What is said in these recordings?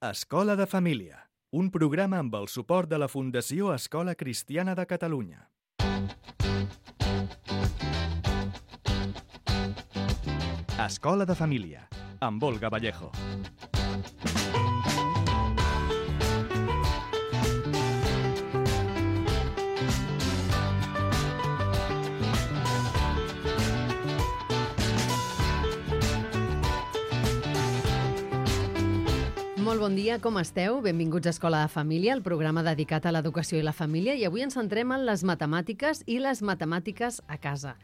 Escola de Família, un programa amb el suport de la Fundació Escola Cristiana de Catalunya. Escola de Família, amb Olga Vallejo. Molt bon dia, com esteu? Benvinguts a Escola de Família, el programa dedicat a l'educació i la família, i avui ens centrem en les matemàtiques i les matemàtiques a casa.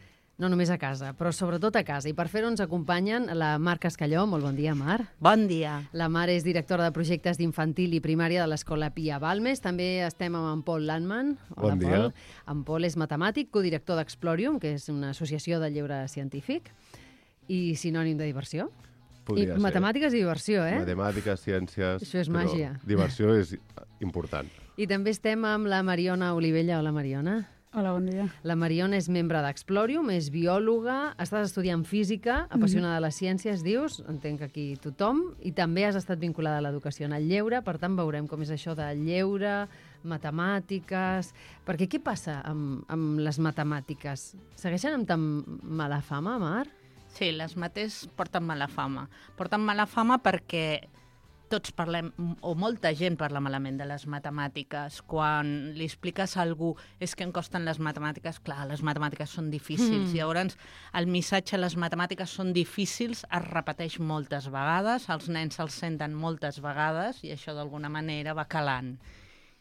No només a casa, però sobretot a casa. I per fer-ho ens acompanyen la Mar Cascalló. Molt bon dia, Mar. Bon dia. La Mar és directora de projectes d'infantil i primària de l'Escola Pia Balmes. També estem amb en Pol Landman. Bon dia. Pol. En Pol és matemàtic, codirector d'Explorium, que és una associació de lleure científic i sinònim de diversió. I matemàtiques i diversió, eh? Matemàtiques, ciències... Això és màgia. Diversió és important. I també estem amb la Mariona Olivella. Hola, Mariona. Hola, bon dia. La Mariona és membre d'Explorium, és biòloga, estàs estudiant física, apassionada de les ciències, dius, entenc que aquí tothom, i també has estat vinculada a l'educació en el lleure, per tant veurem com és això de lleure, matemàtiques... Perquè què passa amb les matemàtiques? Segueixen amb tan mala fama, Mar? Sí, les mates porten mala fama. Porten mala fama perquè tots parlem, o molta gent parla malament de les matemàtiques. Quan li expliques a algú és que em costen les matemàtiques, clar, les matemàtiques són difícils. Llavors, el missatge les matemàtiques són difícils es repeteix moltes vegades, els nens se'ls senten moltes vegades i això d'alguna manera va calant.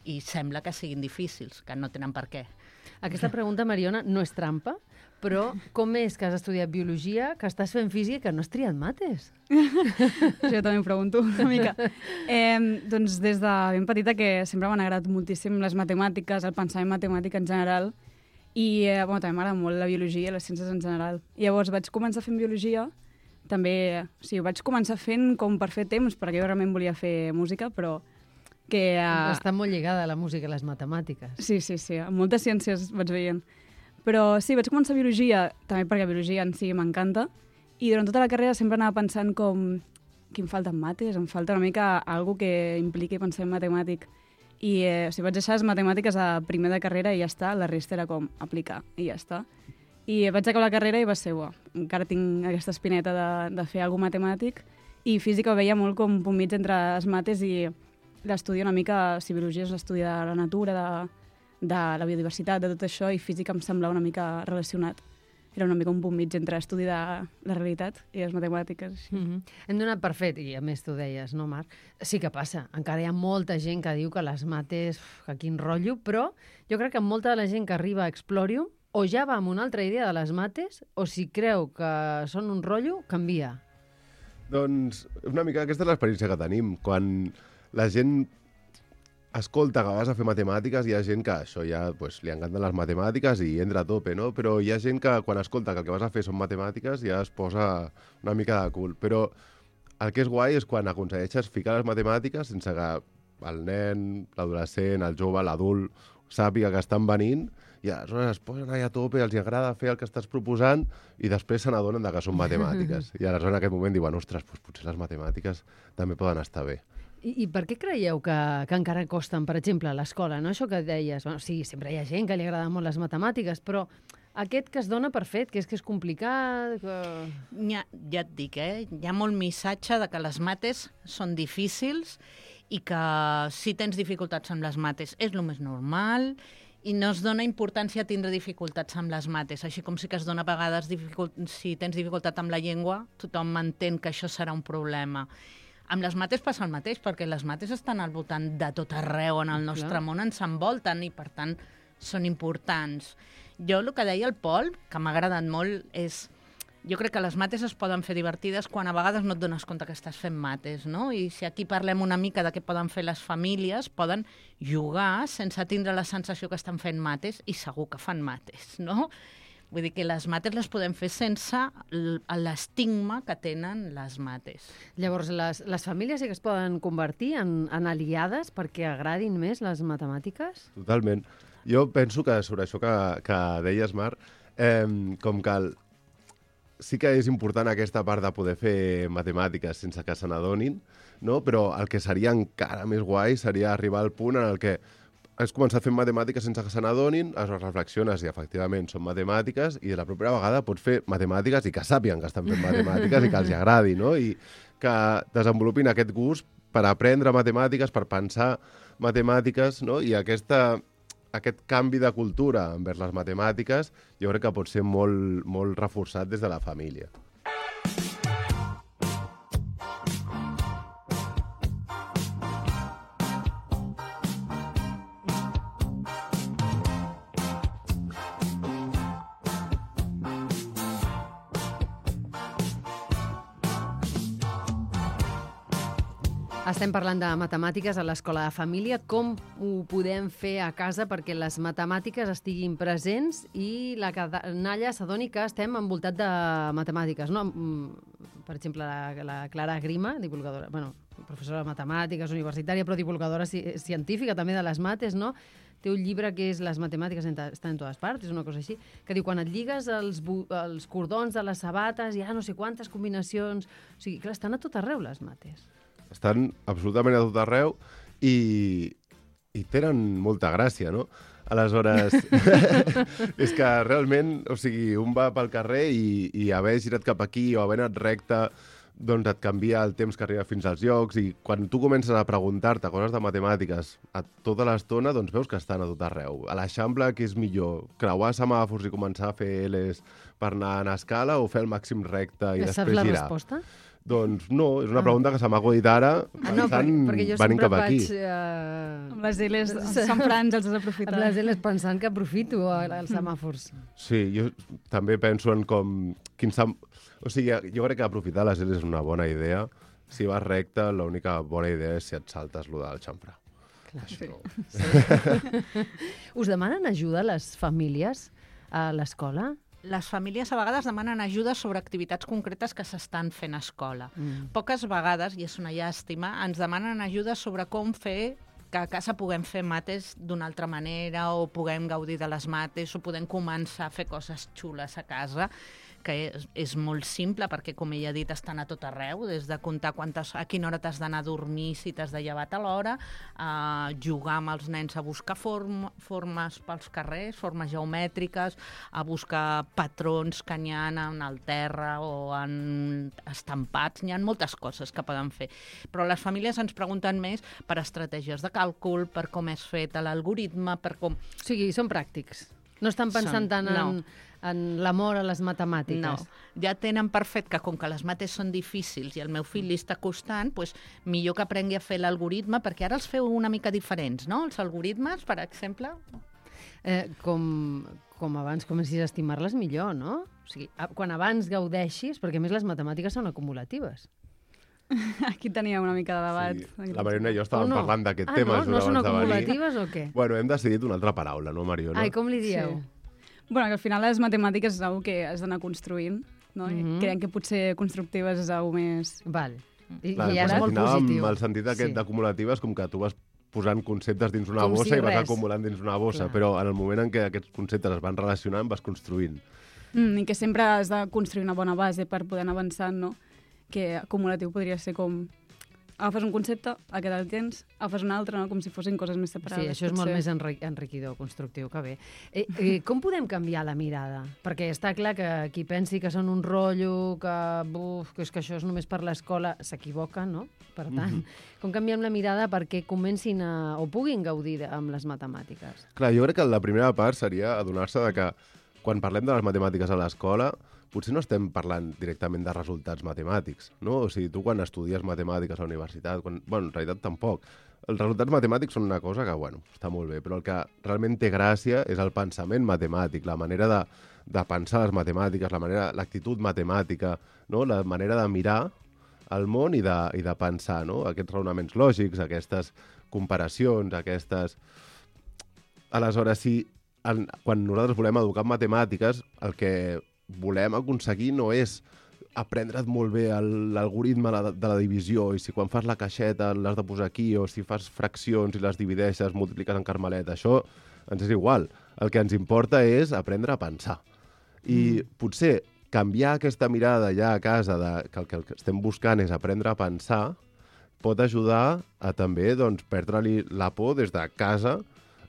I sembla que siguin difícils, que no tenen per què. Aquesta pregunta, Mariona, no és trampa, però com és que has estudiat biologia, que estàs fent física i que no has triat mates? Jo també em pregunto una mica. Doncs des de ben petita que sempre m'han agradat moltíssim les matemàtiques, el pensament matemàtic en general, i també m'agrada molt la biologia i les ciències en general. I llavors vaig començar fent biologia, també, sí, ho vaig començar fent com per fer temps, perquè jo realment volia fer música, però que... Està molt lligada a la música i les matemàtiques. Sí, amb moltes ciències vaig veient. Però sí, vaig començar biologia, també perquè biologia en si m'encanta, i durant tota la carrera sempre anava pensant com que em falten mates, em falta una mica algo que impliqui pensament matemàtic. I vaig deixar les matemàtiques a primer de carrera i ja està, la resta era com aplicar i ja està. I vaig acabar la carrera i va ser, encara tinc aquesta espineta de fer alguna matemàtic, i física ho veia molt com un punt mig entre les mates i l'estudi una mica, si biologia és l'estudi de la natura, de la biodiversitat, de tot això, i física em semblava una mica relacionat. Era una mica un punt mig entre estudi de la realitat i les matemàtiques. Hem donat per fet, i a més tu deies, no, Marc? Sí que passa. Encara hi ha molta gent que diu que les mates, que quin rotllo, però jo crec que molta de la gent que arriba a Explorium o ja va amb una altra idea de les mates, o si creu que són un rotllo, canvia. Doncs una mica aquesta és l'experiència que tenim. Quan la gent escolta que vas a fer matemàtiques, hi ha gent que això ja li encanten les matemàtiques i entra a tope, no? Però hi ha gent que quan escolta que el que vas a fer són matemàtiques ja es posa una mica de cul. Però el que és guai és quan aconsegueixes ficar les matemàtiques sense que el nen, l'adolescent, el jove, l'adult sàpiga que estan venint, i aleshores es posen allà a tope, els agrada fer el que estàs proposant i després se n'adonen que són matemàtiques. I aleshores en aquest moment diuen, ostres, potser les matemàtiques també poden estar bé. I per què creieu que encara costen, per exemple, a l'escola, no? Això que deies, sí, sempre hi ha gent que li agraden molt les matemàtiques, però aquest que es dona per fet, que és complicat... Que... Ja et dic, hi ha molt missatge de que les mates són difícils i que si tens dificultats amb les mates és el més normal i no es dona importància a tindre dificultats amb les mates, així com sí que es dona a vegades si tens dificultat amb la llengua, tothom entén que això serà un problema. Amb les mates passa el mateix, perquè les mates estan al voltant de tot arreu en el nostre món, ens envolten i, per tant, són importants. Jo el que deia el Pol, que m'ha agradat molt, és... Jo crec que les mates es poden fer divertides quan a vegades no et dones compte que estàs fent mates, no? I si aquí parlem una mica de què poden fer les famílies, poden jugar sense tindre la sensació que estan fent mates, i segur que fan mates, no? Vull dir que les mates les podem fer sense l'estigma que tenen les mates. Llavors, les famílies sí que es poden convertir en aliades perquè agradin més les matemàtiques? Totalment. Jo penso que sobre això que deies, Mar, com que sí que és important aquesta part de poder fer matemàtiques sense que se n'adonin, no? Però el que seria encara més guai seria arribar al punt en el que has començat fent matemàtiques sense que se n'adonin, es reflexiones i efectivament són matemàtiques i de la propera vegada pots fer matemàtiques i que sàpiguen que estan fent matemàtiques i que els agradi, no? I que desenvolupin aquest gust per aprendre matemàtiques, per pensar matemàtiques, no? I aquest canvi de cultura envers les matemàtiques jo crec que pot ser molt, molt reforçat des de la família. Estem parlant de matemàtiques a l'escola de família. Com ho podem fer a casa perquè les matemàtiques estiguin presents i la canalla s'adoni que estem envoltat de matemàtiques, no? Per exemple, la Clara Grima, divulgadora, professora de matemàtiques universitària, però divulgadora científica també de les mates, no? Té un llibre que és Les matemàtiques estan en totes parts, és una cosa així, que diu, quan et lligues els cordons de les sabates, hi ha no sé quantes combinacions... O sigui, clar, estan a tot arreu les mates. Estan absolutament a tot arreu i tenen molta gràcia, no? Aleshores, és que realment, o sigui, un va pel carrer i haver girat cap aquí o haver anat recte, doncs et canvia el temps que arriba fins als llocs i quan tu comences a preguntar-te coses de matemàtiques a tota l'estona, doncs veus que estan a tot arreu. A l'Eixample, què és millor? Creuar semàfors i començar a fer Ls per anar en escala o fer el màxim recte i després girar? Saps la resposta? Doncs no, és una pregunta que se m'ha acudit ara pensant, venint cap aquí. Amb les L's Sant Frans els has aprofitat. Amb les L's pensant que aprofito els semàfors. Sí, jo també penso en com... O sigui, jo crec que aprofitar les L's és una bona idea. Si vas recte, l'única bona idea és si et saltes lo del xamfrà. Clar, sí. Us demanen ajuda les famílies a l'escola? Les famílies a vegades demanen ajuda sobre activitats concretes que s'estan fent a escola. Poques vegades, i és una llàstima, ens demanen ajuda sobre com fer que a casa puguem fer mates d'una altra manera o puguem gaudir de les mates o podem començar a fer coses xules a casa, que és molt simple perquè, com ella ha dit, estan a tot arreu, des de comptar a quina hora t'has d'anar a dormir, si t'has de llevar a l'hora, a jugar amb els nens a buscar formes pels carrers, formes geomètriques, a buscar patrons que n'hi ha en el terra o en estampats. N'hi ha moltes coses que poden fer. Però les famílies ens pregunten més per estratègies de càlcul, per com és fet l'algoritme, per com... O sigui, són pràctics. No estan pensant tant en l'amor a les matemàtiques. No, ja tenen per fet que com que les mates són difícils i el meu fill li està costant, doncs millor que aprengui a fer l'algoritme, perquè ara els feu una mica diferents, no? Els algoritmes, per exemple. Com abans comencis a estimar-les millor, no? O sigui, quan abans gaudeixis, perquè a més les matemàtiques són acumulatives. Aquí tenia una mica de debat. Sí. La Mariona i jo estàvem parlant d'aquest tema. No són acumulatives o què? Bueno, hem decidit una altra paraula, no, Mariona? Ai, com li dieu? Sí. Bueno, que al final les matemàtiques és una que has d'anar construint, no? Creiem que potser constructives és una més... Val. I clar, ja és molt positiu. El sentit aquest d'acumulativa és com que tu vas posant conceptes dins una bossa i vas acumulant dins una bossa, però en el moment en què aquests conceptes es van relacionant vas construint. I que sempre has de construir una bona base per poder anar avançant, no? Que acumulatiu podria ser com... Agafes un concepte, aquest el tens, agafes un altre, no? Com si fossin coses més separades. Sí, això és molt més enriquidor, constructiu, que bé. Com podem canviar la mirada? Perquè està clar que qui pensi que són un rotllo, que és que això és només per l'escola, s'equivoca, no? Per tant, com canviem la mirada perquè comencin o puguin gaudir amb les matemàtiques? Clar, jo crec que la primera part seria adonar-se de que quan parlem de les matemàtiques a l'escola potser no estem parlant directament de resultats matemàtics, no? O sigui, tu quan estudies matemàtiques a la universitat, en realitat tampoc. Els resultats matemàtics són una cosa que, està molt bé, però el que realment té gràcia és el pensament matemàtic, la manera de pensar les matemàtiques, l'actitud matemàtica, no? La manera de mirar el món i de pensar, no? Aquests raonaments lògics, aquestes comparacions, aquestes... Aleshores, quan nosaltres volem educar en matemàtiques, el que volem aconseguir no és aprendre't molt bé l'algoritme de la divisió i si quan fas la caixeta l'has de posar aquí o si fas fraccions i les divideixes, multipliques en carmeleta. Això ens és igual. El que ens importa és aprendre a pensar. I potser canviar aquesta mirada ja a casa que el que estem buscant és aprendre a pensar pot ajudar a també doncs, perdre-li la por des de casa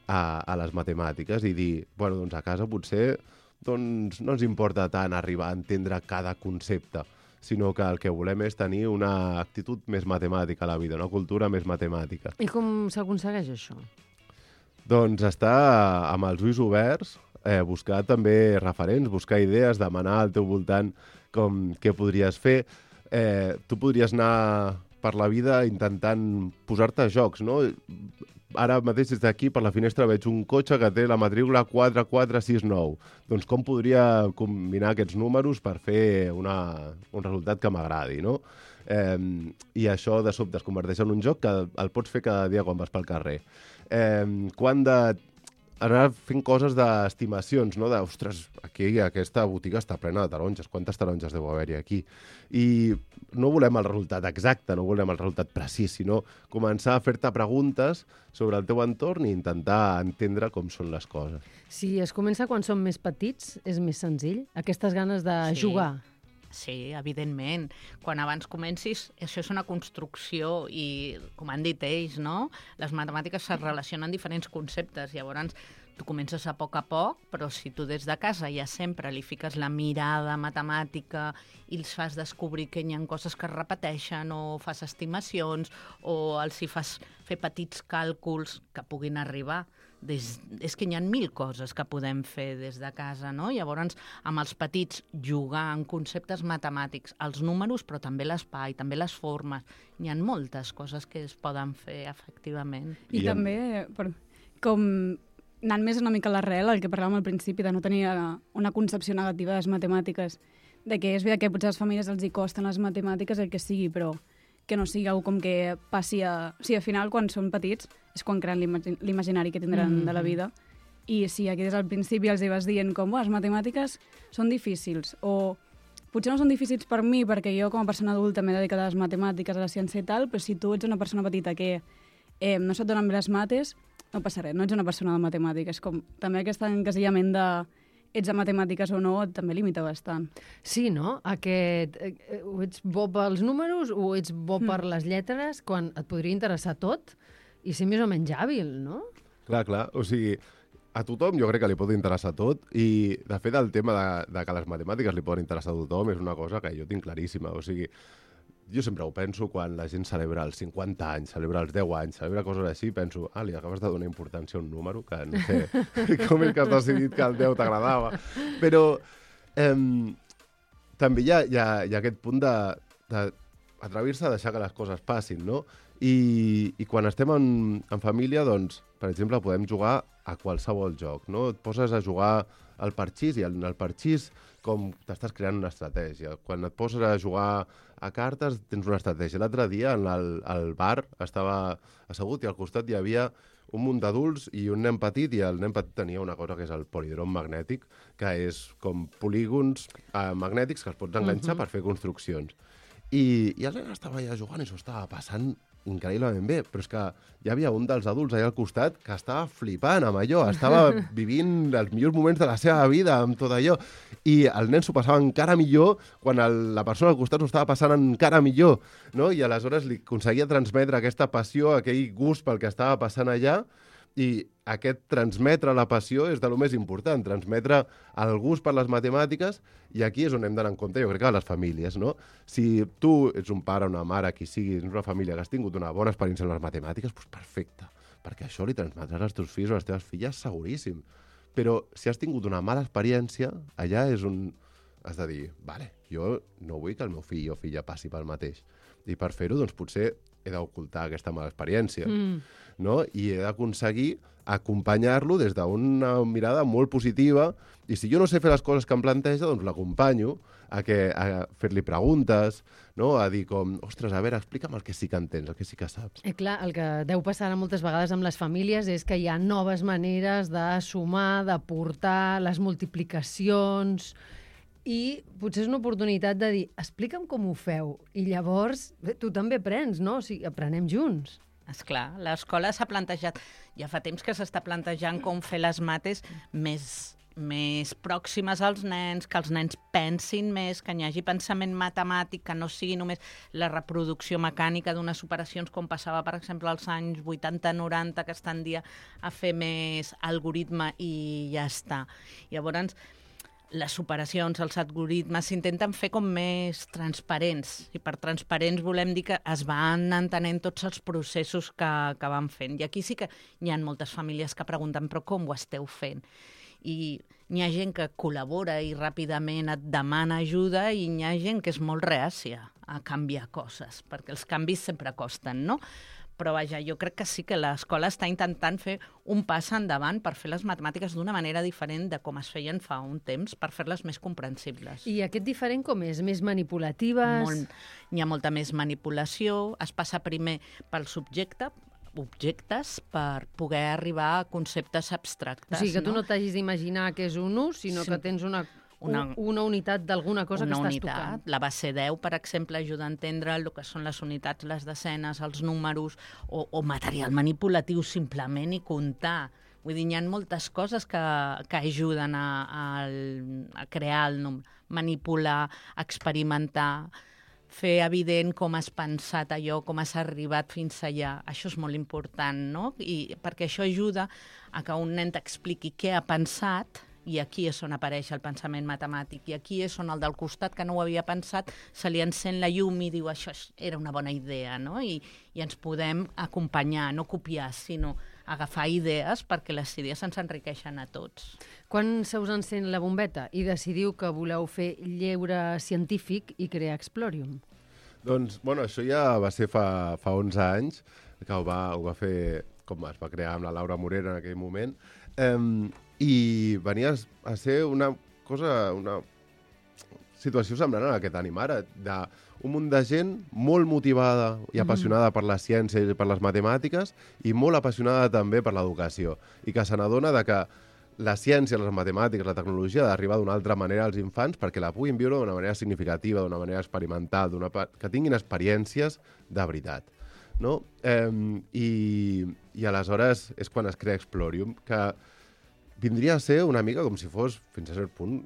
a les matemàtiques i dir, bueno, doncs a casa potser doncs, no ens importa tant arribar a entendre cada concepte, sinó que el que volem és tenir una actitud més matemàtica a la vida, una cultura més matemàtica. I com s'aconsegueix això? Doncs estar amb els ulls oberts, buscar també referents, buscar idees, demanar al teu voltant què podries fer. Tu podries anar per la vida intentant posar-te a jocs, no? Ara mateix des d'aquí, per la finestra, veig un cotxe que té la matrícula 4469. Doncs com podria combinar aquests números per fer un resultat que m'agradi, no? I això de sobte es converteix en un joc que el pots fer cada dia quan vas pel carrer. Quan anar fent coses d'estimacions, no? Ostres, aquí aquesta botiga està plena de taronges. Quantes taronges deu haver-hi aquí? I no volem el resultat exacte, no volem el resultat precís, sinó començar a fer-te preguntes sobre el teu entorn i intentar entendre com són les coses. Si es comença quan som més petits, és més senzill? Aquestes ganes de jugar? Sí, evidentment. Quan abans comencis, això és una construcció i, com han dit ells, no? Les matemàtiques se relacionen amb diferents conceptes. Llavors, tu comences a poc, però si tu des de casa ja sempre li fiques la mirada matemàtica i els fas descobrir que hi ha coses que es repeteixen o fas estimacions o els hi fas fer petits càlculs que puguin arribar. És que hi ha 1000 coses que podem fer des de casa, no? Llavors, amb els petits, jugar amb conceptes matemàtics, els números, però també l'espai, també les formes. Hi ha moltes coses que es poden fer, efectivament. I també, com anant més una mica a l'arrel, el que parlàvem al principi, de no tenir una concepció negativa de les matemàtiques, de que és veritat que potser a les famílies els hi costen les matemàtiques, el que sigui, però que no sigui com que passi a... O sigui, al final, quan són petits, és quan creen l'imaginari que tindran de la vida. I si aquí des del principi els hi vas dient com, les matemàtiques són difícils, o potser no són difícils per mi, perquè jo com a persona adulta m'he dedicat a les matemàtiques, a la ciència i tal, però si tu ets una persona petita que no se't donen bé les mates, no passa res, no ets una persona de matemàtiques. Com també aquest encasillament de ets de matemàtiques o no, també limita bastant. Sí, no? O ets bo pels números o ets bo per les lletres, quan et podria interessar tot i ser més o menys hàbil, no? Clar. O sigui, a tothom jo crec que li pot interessar tot i, de fet, el tema de que les matemàtiques li poden interessar a tothom és una cosa que jo tinc claríssima. O sigui, jo sempre ho penso quan la gent celebra els 50 anys, celebra els 10 anys, celebra coses així, penso, li acabes de donar importància a un número que no sé com és que has decidit que el 10 t'agradava. Però també hi ha aquest punt d'atrevir-se a deixar que les coses passin, no? I quan estem en família, doncs, per exemple, podem jugar a qualsevol joc, no? Et poses a jugar al parxís i en el parxís com t'estàs creant una estratègia. Quan et poses a jugar a cartes tens una estratègia. L'altre dia al bar estava assegut i al costat hi havia un munt d'adults i un nen petit, i el nen petit tenia una cosa que és el polidrom magnètic, que és com polígons magnètics que els pots enganxar per fer construccions. I el nen estava allà jugant i s'ho estava passant increïblement bé, però és que hi havia un dels adults allà al costat que estava flipant amb allò, estava vivint els millors moments de la seva vida amb tot allò, i el nen s'ho passava encara millor quan la persona al costat s'ho estava passant encara millor, no? I aleshores li aconseguia transmetre aquesta passió, aquell gust pel que estava passant allà, i aquest transmetre la passió és de lo més important, transmetre el gust per les matemàtiques, i aquí és on hem d'anar en compte, jo crec que a les famílies, no? Si tu ets un pare, una mare, qui sigui, ets una família que has tingut una bona experiència en les matemàtiques, doncs perfecte, perquè això li transmetràs als teus fills o a les teves filles seguríssim. Però si has tingut una mala experiència, allà és on has de dir, vale, jo no vull que el meu fill o filla passi pel mateix. I per fer-ho, doncs potser he d'ocultar aquesta mala experiència, no? I he d'aconseguir acompanyar-lo des d'una mirada molt positiva, i si jo no sé fer les coses que em planteja, doncs l'acompanyo a fer-li preguntes, no? A dir com, ostres, a veure, explica'm el que sí que entens, el que sí que saps. Clar, el que deu passar moltes vegades amb les famílies és que hi ha noves maneres de sumar, de portar les multiplicacions, i potser és una oportunitat de dir, explica'm com ho feu, i llavors tu també aprens, no? O sigui, aprenem junts. Esclar, l'escola s'ha plantejat, ja fa temps que s'està plantejant com fer les mates més més pròximes als nens, que els nens pensin més, que hi hagi pensament matemàtic, que no sigui només la reproducció mecànica d'unes operacions com passava, per exemple, als anys 80-90, que es tendia a fer més algoritme i ja està. Llavors, les operacions, els algoritmes s'intenten fer com més transparents, i per transparents volem dir que es van entenent tots els processos que van fent. I aquí sí que hi ha moltes famílies que pregunten però com ho esteu fent? I hi ha gent que col·labora i ràpidament et demana ajuda i hi ha gent que és molt reàcia a canviar coses, perquè els canvis sempre costen, no? Però vaja, jo crec que sí que l'escola està intentant fer un pas endavant per fer les matemàtiques d'una manera diferent de com es feien fa un temps, per fer-les més comprensibles. I aquest diferent com és? Més manipulatives? Hi ha molta més manipulació, es passa primer pel objectes per poder arribar a conceptes abstractes. O sigui, que tu no t'hagis d'imaginar que és un ús, sinó que tens una unitat d'alguna cosa que estàs tocant. La base 10, per exemple, ajuda a entendre el que són les unitats, les desenes, els números, o material manipulatiu simplement i comptar. Vull dir, hi ha moltes coses que ajuden a crear el número, manipular, experimentar, fer evident com has pensat allò, com has arribat fins allà. Això és molt important, no? I perquè això ajuda a que un nen t'expliqui què ha pensat, i aquí és on apareix el pensament matemàtic, i aquí és on el del costat, que no ho havia pensat, se li encén la llum i diu això era una bona idea, no? I ens podem acompanyar, no copiar, sinó agafar idees perquè les idees ens enriqueixen a tots. Quan se us encén la bombeta i decidiu que voleu fer lleure científic i crear Explorium? Doncs, bueno, això ja va ser fa 11 anys, que ho va fer, com es va crear amb la Laura Morera en aquell moment, i venia a ser una situació semblant a la que tenim ara, d'un munt de gent molt motivada i apassionada per la ciència i per les matemàtiques i molt apassionada també per l'educació, i que se n'adona que la ciència, les matemàtiques, la tecnologia ha d'arribar d'una altra manera als infants perquè la puguin viure d'una manera significativa, d'una manera experimental, que tinguin experiències de veritat. No? I aleshores és quan es crea Explorium, que vindria a ser una mica com si fos, fins a cert punt,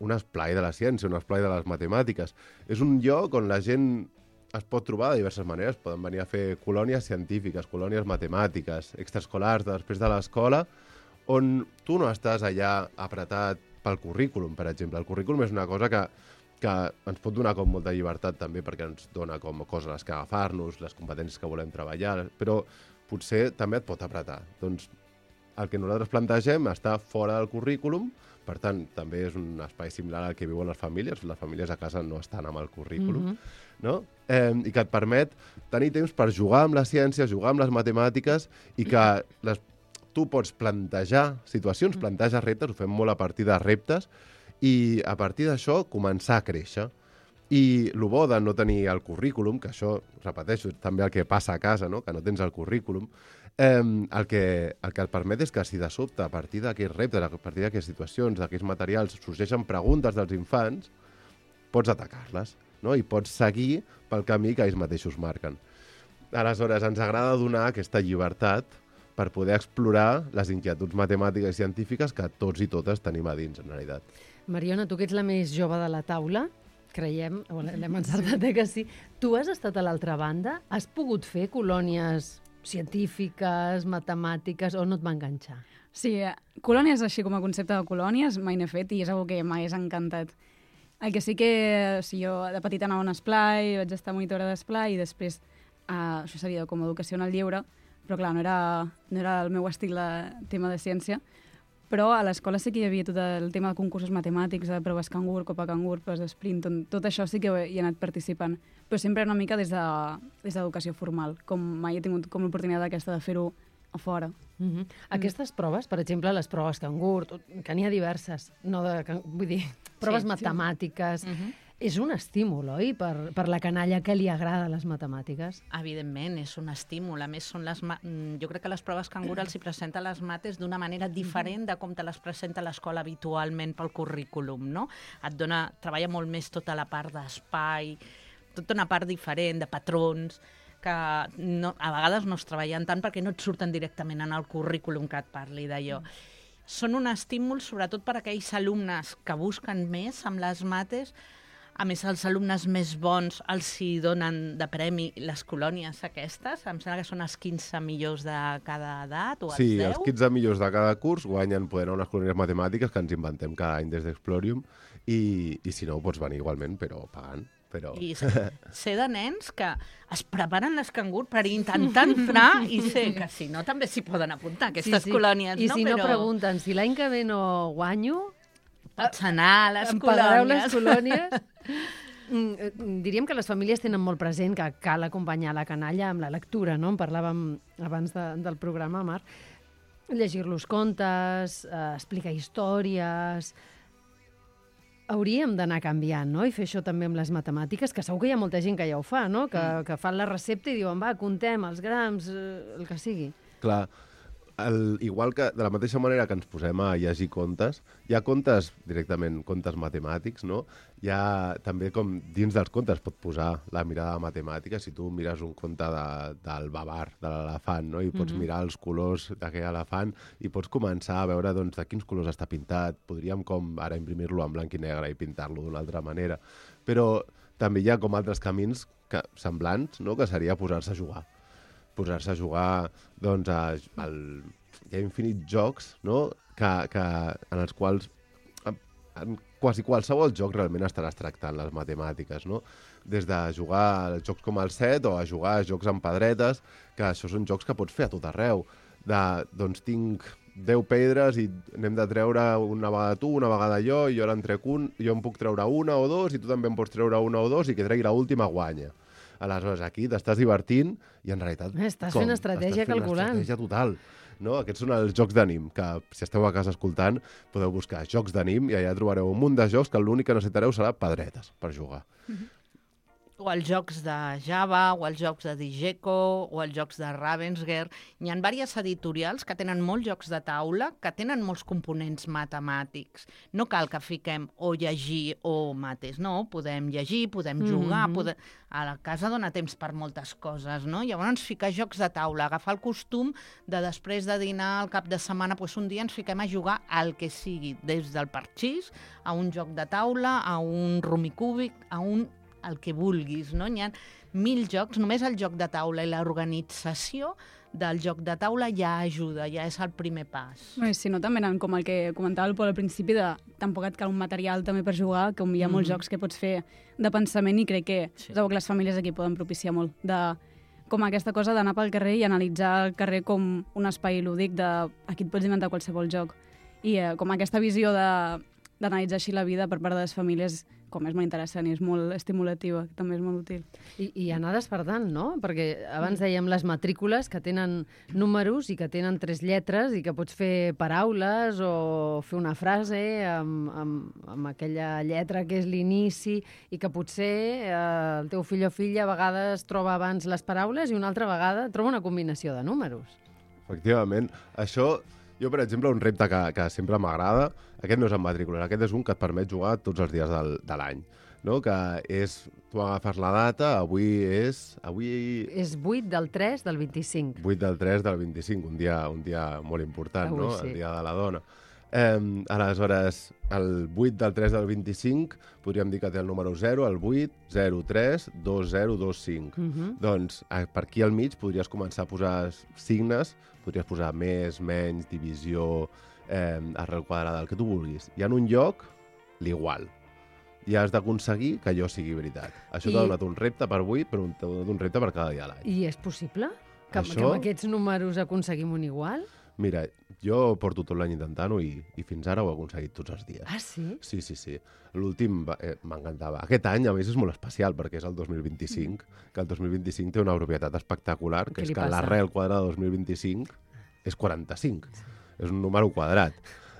un esplai de la ciència, un esplai de les matemàtiques. És un lloc on la gent es pot trobar de diverses maneres. Poden venir a fer colònies científiques, colònies matemàtiques, extraescolars després de l'escola, on tu no estàs allà apretat pel currículum, per exemple. El currículum és una cosa que ens pot donar com molta llibertat també, perquè ens dona com coses a les que agafar-nos, les competències que volem treballar, però potser també et pot apretar. Doncs el que nosaltres plantegem està fora del currículum, per tant, també és un espai similar al que viuen les famílies a casa no estan amb el currículum, no? I que et permet tenir temps per jugar amb la ciència, jugar amb les matemàtiques, i que tu pots plantejar situacions, plantejar reptes, ho fem molt a partir de reptes, i a partir d'això començar a créixer. I el bo de no tenir el currículum, que això, repeteixo, és també el que passa a casa, no? Que no tens el currículum, el que et permet és que si de sobte, a partir d'aquests reptes, a partir d'aquestes situacions, d'aquests materials, sorgeixen preguntes dels infants, pots atacar-les, no? I pots seguir pel camí que ells mateixos marquen. Aleshores, ens agrada donar aquesta llibertat per poder explorar les inquietuds matemàtiques i científiques que tots i totes tenim a dins, en realitat. Mariona, tu que ets la més jove de la taula, creiem, l'hem encertat que sí, tu has estat a l'altra banda? Has pogut fer colònies científiques, matemàtiques, o no et va enganxar? Sí, colònies així com a concepte de colònies mai n'he fet i és una que m'hagués encantat. El que sí que jo de petita anava a un esplai, vaig estar monitora d'esplai i després això seria com a educació en el lleure, però clar, no era el meu estil de tema de ciència, però a l'escola sí que hi havia tot el tema de concursos matemàtics, de proves cangur, copa cangur, proves d'esprint, tot això sí que hi he anat participant, però sempre una mica des d'educació formal, com mai he tingut com l'oportunitat aquesta de fer-ho a fora. Aquestes proves, per exemple, les proves cangur, que n'hi ha diverses, vull dir, proves matemàtiques, és un estímul, oi?, per la canalla que li agrada les matemàtiques. Evidentment, és un estímul. A més, jo crec que les proves cangur els hi presenta les mates d'una manera diferent de com te les presenta l'escola habitualment pel currículum, no? Treballa molt més tota la part d'espai, tota una part diferent, de patrons, que a vegades no es treballen tant perquè no et surten directament en el currículum que et parli d'allò. són un estímul sobretot per a aquells alumnes que busquen més amb les mates. A més, els alumnes més bons els hi donen de premi les colònies aquestes. Em sembla que són els 15 millors de cada edat, o els 10. Sí, els 15 millors de cada curs guanyen poder unes colònies matemàtiques que ens inventem cada any des d'Explorium i si no, pots venir igualment, però pagant. Però... I sé de nens que es preparen l'escangur per intentar entrar i sé que si no també s'hi poden apuntar aquestes colònies. I si no però... pregunten, si l'any que ve no guanyo... Pots anar a les em pagareu colònies. les colònies? Diríem que les famílies tenen molt present que cal acompanyar la canalla amb la lectura, no? En parlàvem abans del programa, Marc. Llegir-los contes, explicar històries... Hauríem d'anar canviant, no? I fer això també amb les matemàtiques, que segur que hi ha molta gent que ja ho fa, no? Que fan la recepta i diuen, va, comptem els grams, el que sigui. Clar, igual que de la mateixa manera que ens posem a llegir contes, hi ha contes directament, contes matemàtics, no? Hi ha també com dins dels contes pot posar la mirada matemàtica. Si tu mires un conte del babar, de l'elefant, no? I pots mirar els colors d'aquell elefant i pots començar a veure doncs, de quins colors està pintat. Podríem com ara imprimir-lo en blanc i negre i pintar-lo d'una altra manera. Però també hi ha com altres camins semblants, no? Que seria posar-se a jugar. Posar-se a jugar, doncs, hi ha infinits jocs, no? En els quals en quasi qualsevol joc realment estaràs tractant les matemàtiques, no? Des de jugar a jocs com el set o a jugar a jocs amb pedretes, que això són jocs que pots fer a tot arreu. Doncs tinc 10 pedres i n'hem de treure una vegada tu, una vegada jo, i jo ara en trec jo en puc treure una o dos i tu també en pots treure una o dos i que tregui l'última guanya. Aleshores, aquí t'estàs divertint i en realitat... Estàs fent estratègia calculant. Estratègia total. No? Aquests són els jocs d'ànim, que si esteu a casa escoltant podeu buscar jocs d'ànim i allà trobareu un munt de jocs que l'únic que necessitareu serà pedretes per jugar. O els jocs de Java, o els jocs de Digeco, o els jocs de Ravensburger. Hi ha diverses editorials que tenen molts jocs de taula, que tenen molts components matemàtics. No cal que fiquem o llegir o mates, no. Podem llegir, podem jugar, a la casa dona temps per moltes coses, no? Llavors ficar jocs de taula, agafar el costum de després de dinar al cap de setmana, doncs un dia ens fiquem a jugar al que sigui, des del parxís, a un joc de taula, a un rumicúbic, a un el que vulguis, no? Hi ha 1000 jocs, només el joc de taula i l'organització del joc de taula ja ajuda, ja és el primer pas. Si no, també anant com el que comentava el Pol al principi, tampoc et cal un material també per jugar, que hi ha molts jocs que pots fer de pensament i crec que que les famílies aquí poden propiciar molt com aquesta cosa d'anar pel carrer i analitzar el carrer com un espai lúdic aquí et pots inventar qualsevol joc. I com aquesta visió d'analitzar així la vida per part de les famílies com és molt interessant i és molt estimulativa, també és molt útil. I anar despertant, no? Perquè abans dèiem les matrícules que tenen números i que tenen 3 lletres i que pots fer paraules o fer una frase amb aquella lletra que és l'inici i que potser el teu fill o filla a vegades troba abans les paraules i una altra vegada troba una combinació de números. Efectivament. Això... Jo, per exemple, un repte que sempre m'agrada, aquest no és en matrícules, aquest és un que et permet jugar tots els dies de l'any, no? Que és, tu agafes la data, avui és... És 8 del 3 del 25. 8 del 3 del 25, un dia molt important, avui, no? Sí. El dia de la dona. Aleshores, el 8 del 3 del 25 podríem dir que té el número 0, el 8, 0, 3, 2, 0, 2, 5. Doncs per aquí al mig podries començar a posar signes, podries posar més, menys, divisió, arrel quadrada, el que tu vulguis. I en un lloc, l'igual. I has d'aconseguir que allò sigui veritat. Això t'ha donat un repte per avui, però t'ha donat un repte per cada dia de l'any. I és possible? Que amb aquests números aconseguim un igual? Mira, jo porto tot l'any intentant-ho i fins ara ho he aconseguit tots els dies. Ah, sí? Sí. L'últim m'encantava. Aquest any, a més, és molt especial perquè és el 2025, que el 2025 té una propietat espectacular, que és que l'arrel quadrada de 2025 és 45. És un número quadrat.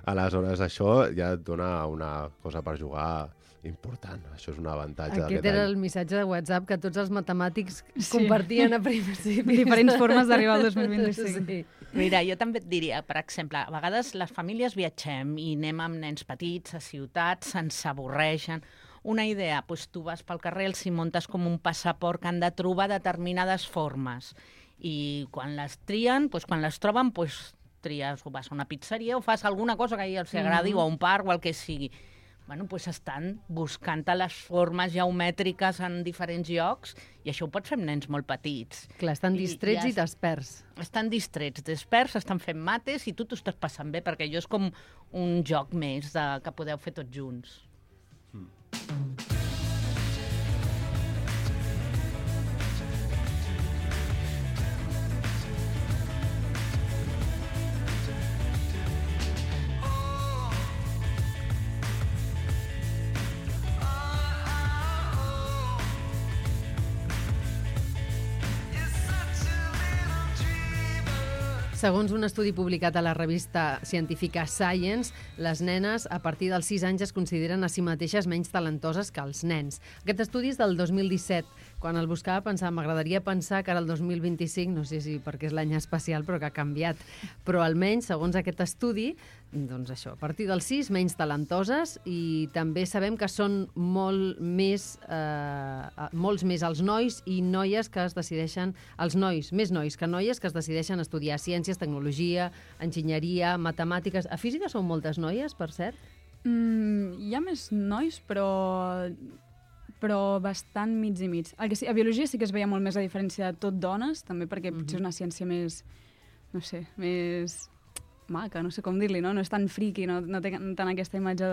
Aleshores, això ja et dona una cosa per jugar important. Això és un avantatge d'aquest any. Aquest era el missatge de WhatsApp que tots els matemàtics compartien a principis. Diferents formes d'arribar al 2025. Sí. Mira, jo també et diria, per exemple, a vegades les famílies viatgem i anem amb nens petits a ciutats, se'ns avorreixen. Una idea, doncs tu vas pel carrer, els hi muntes com un passaport que han de trobar determinades formes. I quan les trien, doncs quan les troben, doncs tries o vas a una pizzeria o fas alguna cosa que a ells els agradi o a un parc o el que sigui. Bueno, doncs estan buscant les formes geomètriques en diferents llocs i això ho pots fer amb nens molt petits. Clar, estan distrets i desperts. Estan distrets, desperts, estan fent mates i tu t'ho estàs passant bé, perquè allò és com un joc més que podeu fer tots junts. Segons un estudi publicat a la revista científica Science, les nenes a partir dels 6 anys es consideren a si mateixes menys talentoses que els nens. Aquest estudi és del 2017. Quan el buscava pensava, m'agradaria pensar que ara el 2025, no sé si perquè és l'any espacial, però que ha canviat. Però almenys, segons aquest estudi, doncs això, a partir dels 6, menys talentoses, i també sabem que són molts més els nois i noies que es decideixen, més nois que noies que es decideixen estudiar ciències, tecnologia, enginyeria, matemàtiques. A física són moltes noies, per cert? Hi ha més nois, però bastant mig i mig. El que sí, a biologia sí que es veia molt més la diferència de tot dones, també perquè potser és una ciència més, no sé, més maca, no sé com dir-li, no? No és tan friqui, no té tant aquesta imatge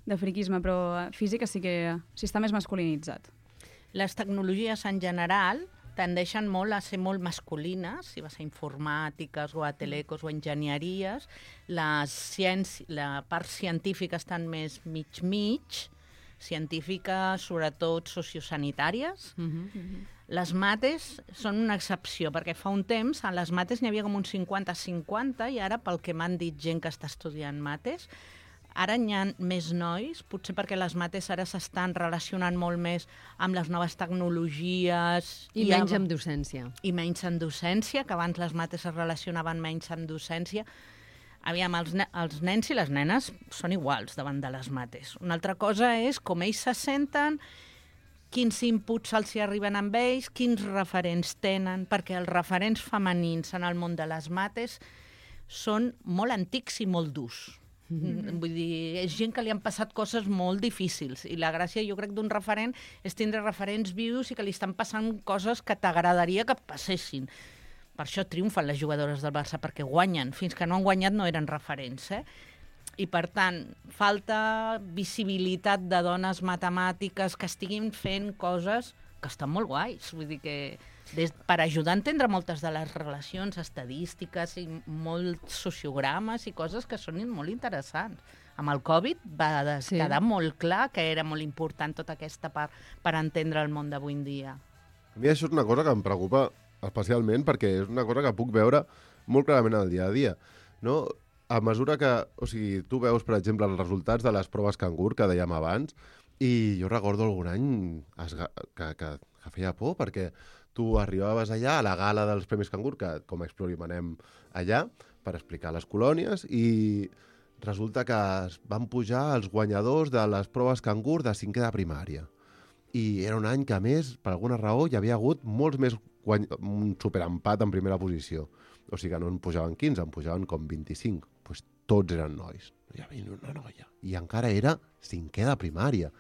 de friquisme, però física sí que està més masculinitzat. Les tecnologies en general tendeixen molt a ser molt masculines, si vas a informàtiques o a telecos o enginyeries, la part científica estan més mig-mig, científiques, sobretot sociosanitàries. Les mates són una excepció, perquè fa un temps a les mates n'hi havia com un 50-50 i ara, pel que m'han dit gent que està estudiant mates, ara n'hi ha més nois, potser perquè les mates ara s'estan relacionant molt més amb les noves tecnologies. I menys amb docència. I menys en docència, que abans les mates es relacionaven menys amb docència. Aviam, els nens i les nenes són iguals davant de les mates. Una altra cosa és com ells se senten, quins inputs els hi arriben amb ells, quins referents tenen, perquè els referents femenins en el món de les mates són molt antics i molt durs. Vull dir, és gent que li han passat coses molt difícils i la gràcia, jo crec, d'un referent és tindre referents vius i que li estan passant coses que t'agradaria que passessin. Per això triomfen les jugadores del Barça, perquè guanyen. Fins que no han guanyat no eren referents, I, per tant, falta visibilitat de dones matemàtiques que estiguin fent coses que estan molt guais. Vull dir que per ajudar a entendre moltes de les relacions estadístiques i molts sociogrames i coses que són molt interessants. Amb el Covid va quedar molt clar que era molt important tota aquesta part per entendre el món d'avui en dia. A mi això és una cosa que em preocupa especialment perquè és una cosa que puc veure molt clarament al dia a dia, no? A mesura que, o sigui, tu veus, per exemple, els resultats de les proves cangur que dèiem abans, i jo recordo algun any que feia por, perquè tu arribaves allà a la gala dels Premis Cangur, que com a Explorium anem allà per explicar les colònies, i resulta que van pujar els guanyadors de les proves cangur de 5è de primària. I era un any que, a més, per alguna raó, hi havia hagut molts més un superempat en primera posició. O sigui que no en pujaven 15, en pujaven com 25. Pues tots eren nois. Hi havia una noia. I encara era 5è de primària.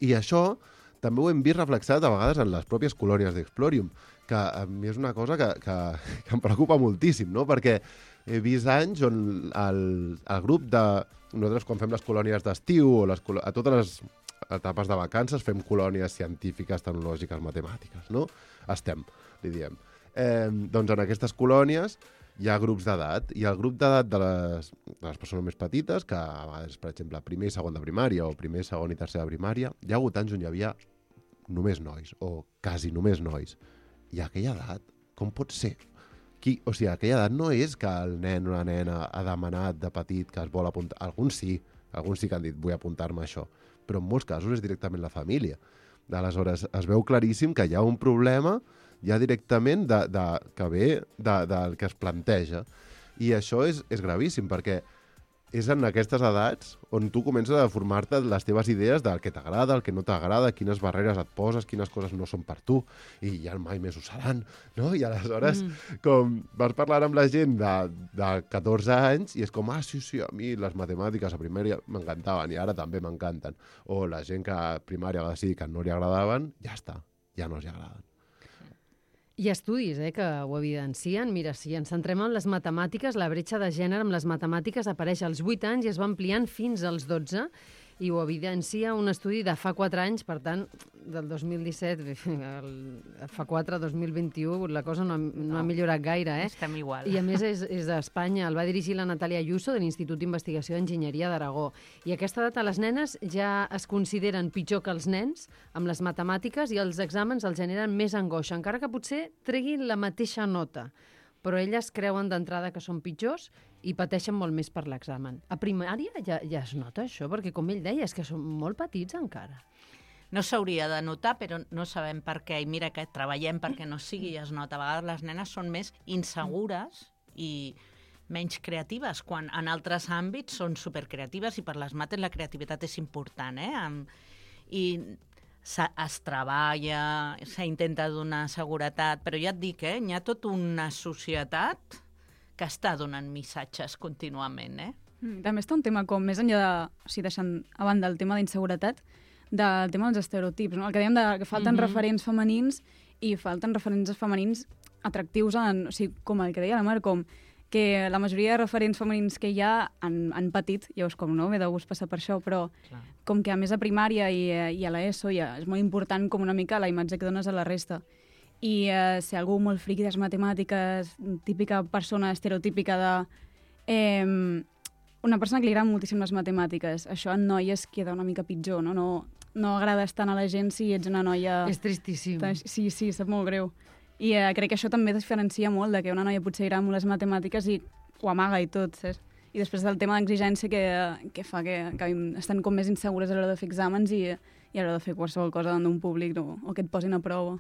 I això també ho hem vist reflexat a vegades en les pròpies colònies d'Explorium, que a mi és una cosa que em preocupa moltíssim, no? Perquè he vist anys on el grup de... Nosaltres, quan fem les colònies d'estiu o a totes les etapes de vacances, fem colònies científiques, tecnològiques, matemàtiques, no? Li diem. Doncs en aquestes colònies hi ha grups d'edat, i el grup d'edat de les persones més petites, que a vegades, per exemple, primer i segon de primària o primer, segon i tercer de primària, hi ha hagut anys on hi havia només nois, o quasi només nois. I a aquella edat, com pot ser? O sigui, a aquella edat no és que el nen o la nena ha demanat de petit que es vol apuntar. Alguns sí que han dit vull apuntar-me a això, però en molts casos és directament la família. Aleshores, es veu claríssim que hi ha un problema ja directament que ve del que es planteja. I això és gravíssim, perquè és en aquestes edats on tu comences a formar-te les teves idees del que t'agrada, el que no t'agrada, quines barreres et poses, quines coses no són per tu, i ja mai més ho seran, no? I aleshores, com vas parlar amb la gent de 14 anys, i és com, sí, a mi les matemàtiques a primària m'encantaven, i ara també m'encanten. O la gent que a primària va decidir que no li agradaven, ja està, ja no els agraden. Hi ha estudis que ho evidencien. Mira, si ens centrem en les matemàtiques, la bretxa de gènere amb les matemàtiques apareix als 8 anys i es va ampliant fins als 12, i ho evidencia un estudi de fa 4 anys, per tant, del 2017, fa 4, 2021, la cosa no ha millorat gaire. Estem igual. I a més és d'Espanya. El va dirigir la Natàlia Ayuso, de l'Institut d'Investigació d'Enginyeria d'Aragó. I a aquesta data les nenes ja es consideren pitjor que els nens amb les matemàtiques, i els exàmens els generen més angoixa, encara que potser treguin la mateixa nota. Però elles creuen d'entrada que són pitjors i pateixen molt més per l'examen. A primària ja es nota això, perquè com ell deia, és que són molt petits encara. No s'hauria de notar, però no sabem per què. I mira que treballem perquè no sigui i es nota. A vegades les nenes són més insegures i menys creatives, quan en altres àmbits són supercreatives, i per les mates la creativitat és important, I es treballa, s'intenta donar seguretat, però ja et dic, hi ha tota una societat que està donant missatges contínuament, També està un tema com més enllà de, o sigui, deixant a banda el tema d'inseguretat, del tema dels estereotips, no? El que dèiem que falten referents femenins, i falten referents femenins atractius, o sigui, com el que deia la Mar, com que la majoria de referents femenins que hi ha han patit, llavors com no, ve de gust passar per això, però com que a més a primària i a l'ESO ja és molt important com una mica la imatge que dones a la resta. I ser algú molt friqui de les matemàtiques, típica persona estereotípica de... una persona que li agraden moltíssim les matemàtiques, això en noies queda una mica pitjor, no? No agrades tant a la gent si ets una noia... És tristíssim. Sí, sap molt greu. I crec que això també diferencia molt de que una noia potser agrada molt les matemàtiques i ho amaga i tot, saps? I després del tema d'exigència que fa que estan com més insegures a l'hora de fer exàmens i a l'hora de fer qualsevol cosa davant d'un públic o que et posin a prova.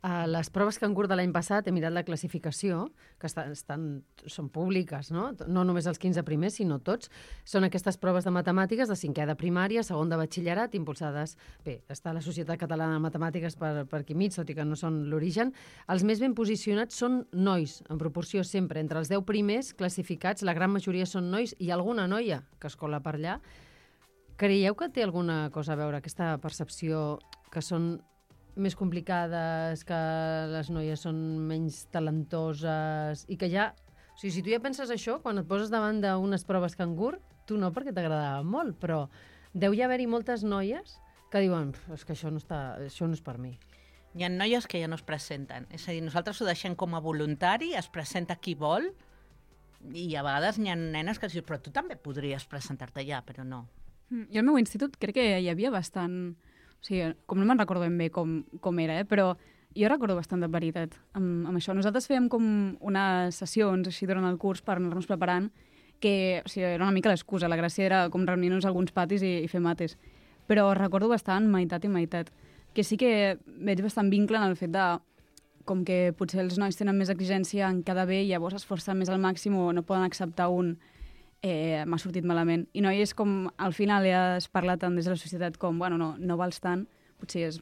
Les proves que han curt de l'any passat, he mirat la classificació, que són públiques, no? No només els 15 primers, sinó tots. Són aquestes proves de matemàtiques de 5è de primària, 2 de batxillerat, impulsades... Bé, està la Societat Catalana de Matemàtiques per aquí mig, tot i que no són l'origen. Els més ben posicionats són nois, en proporció sempre. Entre els 10 primers classificats, la gran majoria són nois i alguna noia que es cola per allà. Creieu que té alguna cosa a veure aquesta percepció que són més complicades, que les noies són menys talentoses i que ja... O sigui, si tu ja penses això, quan et poses davant d'unes proves cangur, tu no, perquè t'agradava molt, però deu ja haver-hi moltes noies que diuen és que això no és per mi. Hi ha noies que ja no es presenten. És a dir, nosaltres ho deixem com a voluntari, es presenta qui vol, i a vegades hi ha nenes que diuen però tu també podries presentar-te ja, però no. Jo al meu institut crec que hi havia bastant... O sigui, com no me'n recordo ben bé com era, però jo recordo bastant de veritat amb això. Nosaltres fèiem com unes sessions així durant el curs per anar-nos preparant, que o sigui, era una mica l'excusa. La gràcia era com reunir-nos a alguns patis i fer mates. Però recordo bastant meitat i meitat. Que sí que veig bastant vincle en el fet de com que potser els nois tenen més exigència en cada bé i llavors esforcen més al màxim o no poden acceptar m'ha sortit malament. I no és com, al final ja es parla tant des de la societat com, bueno, no vals tant, potser és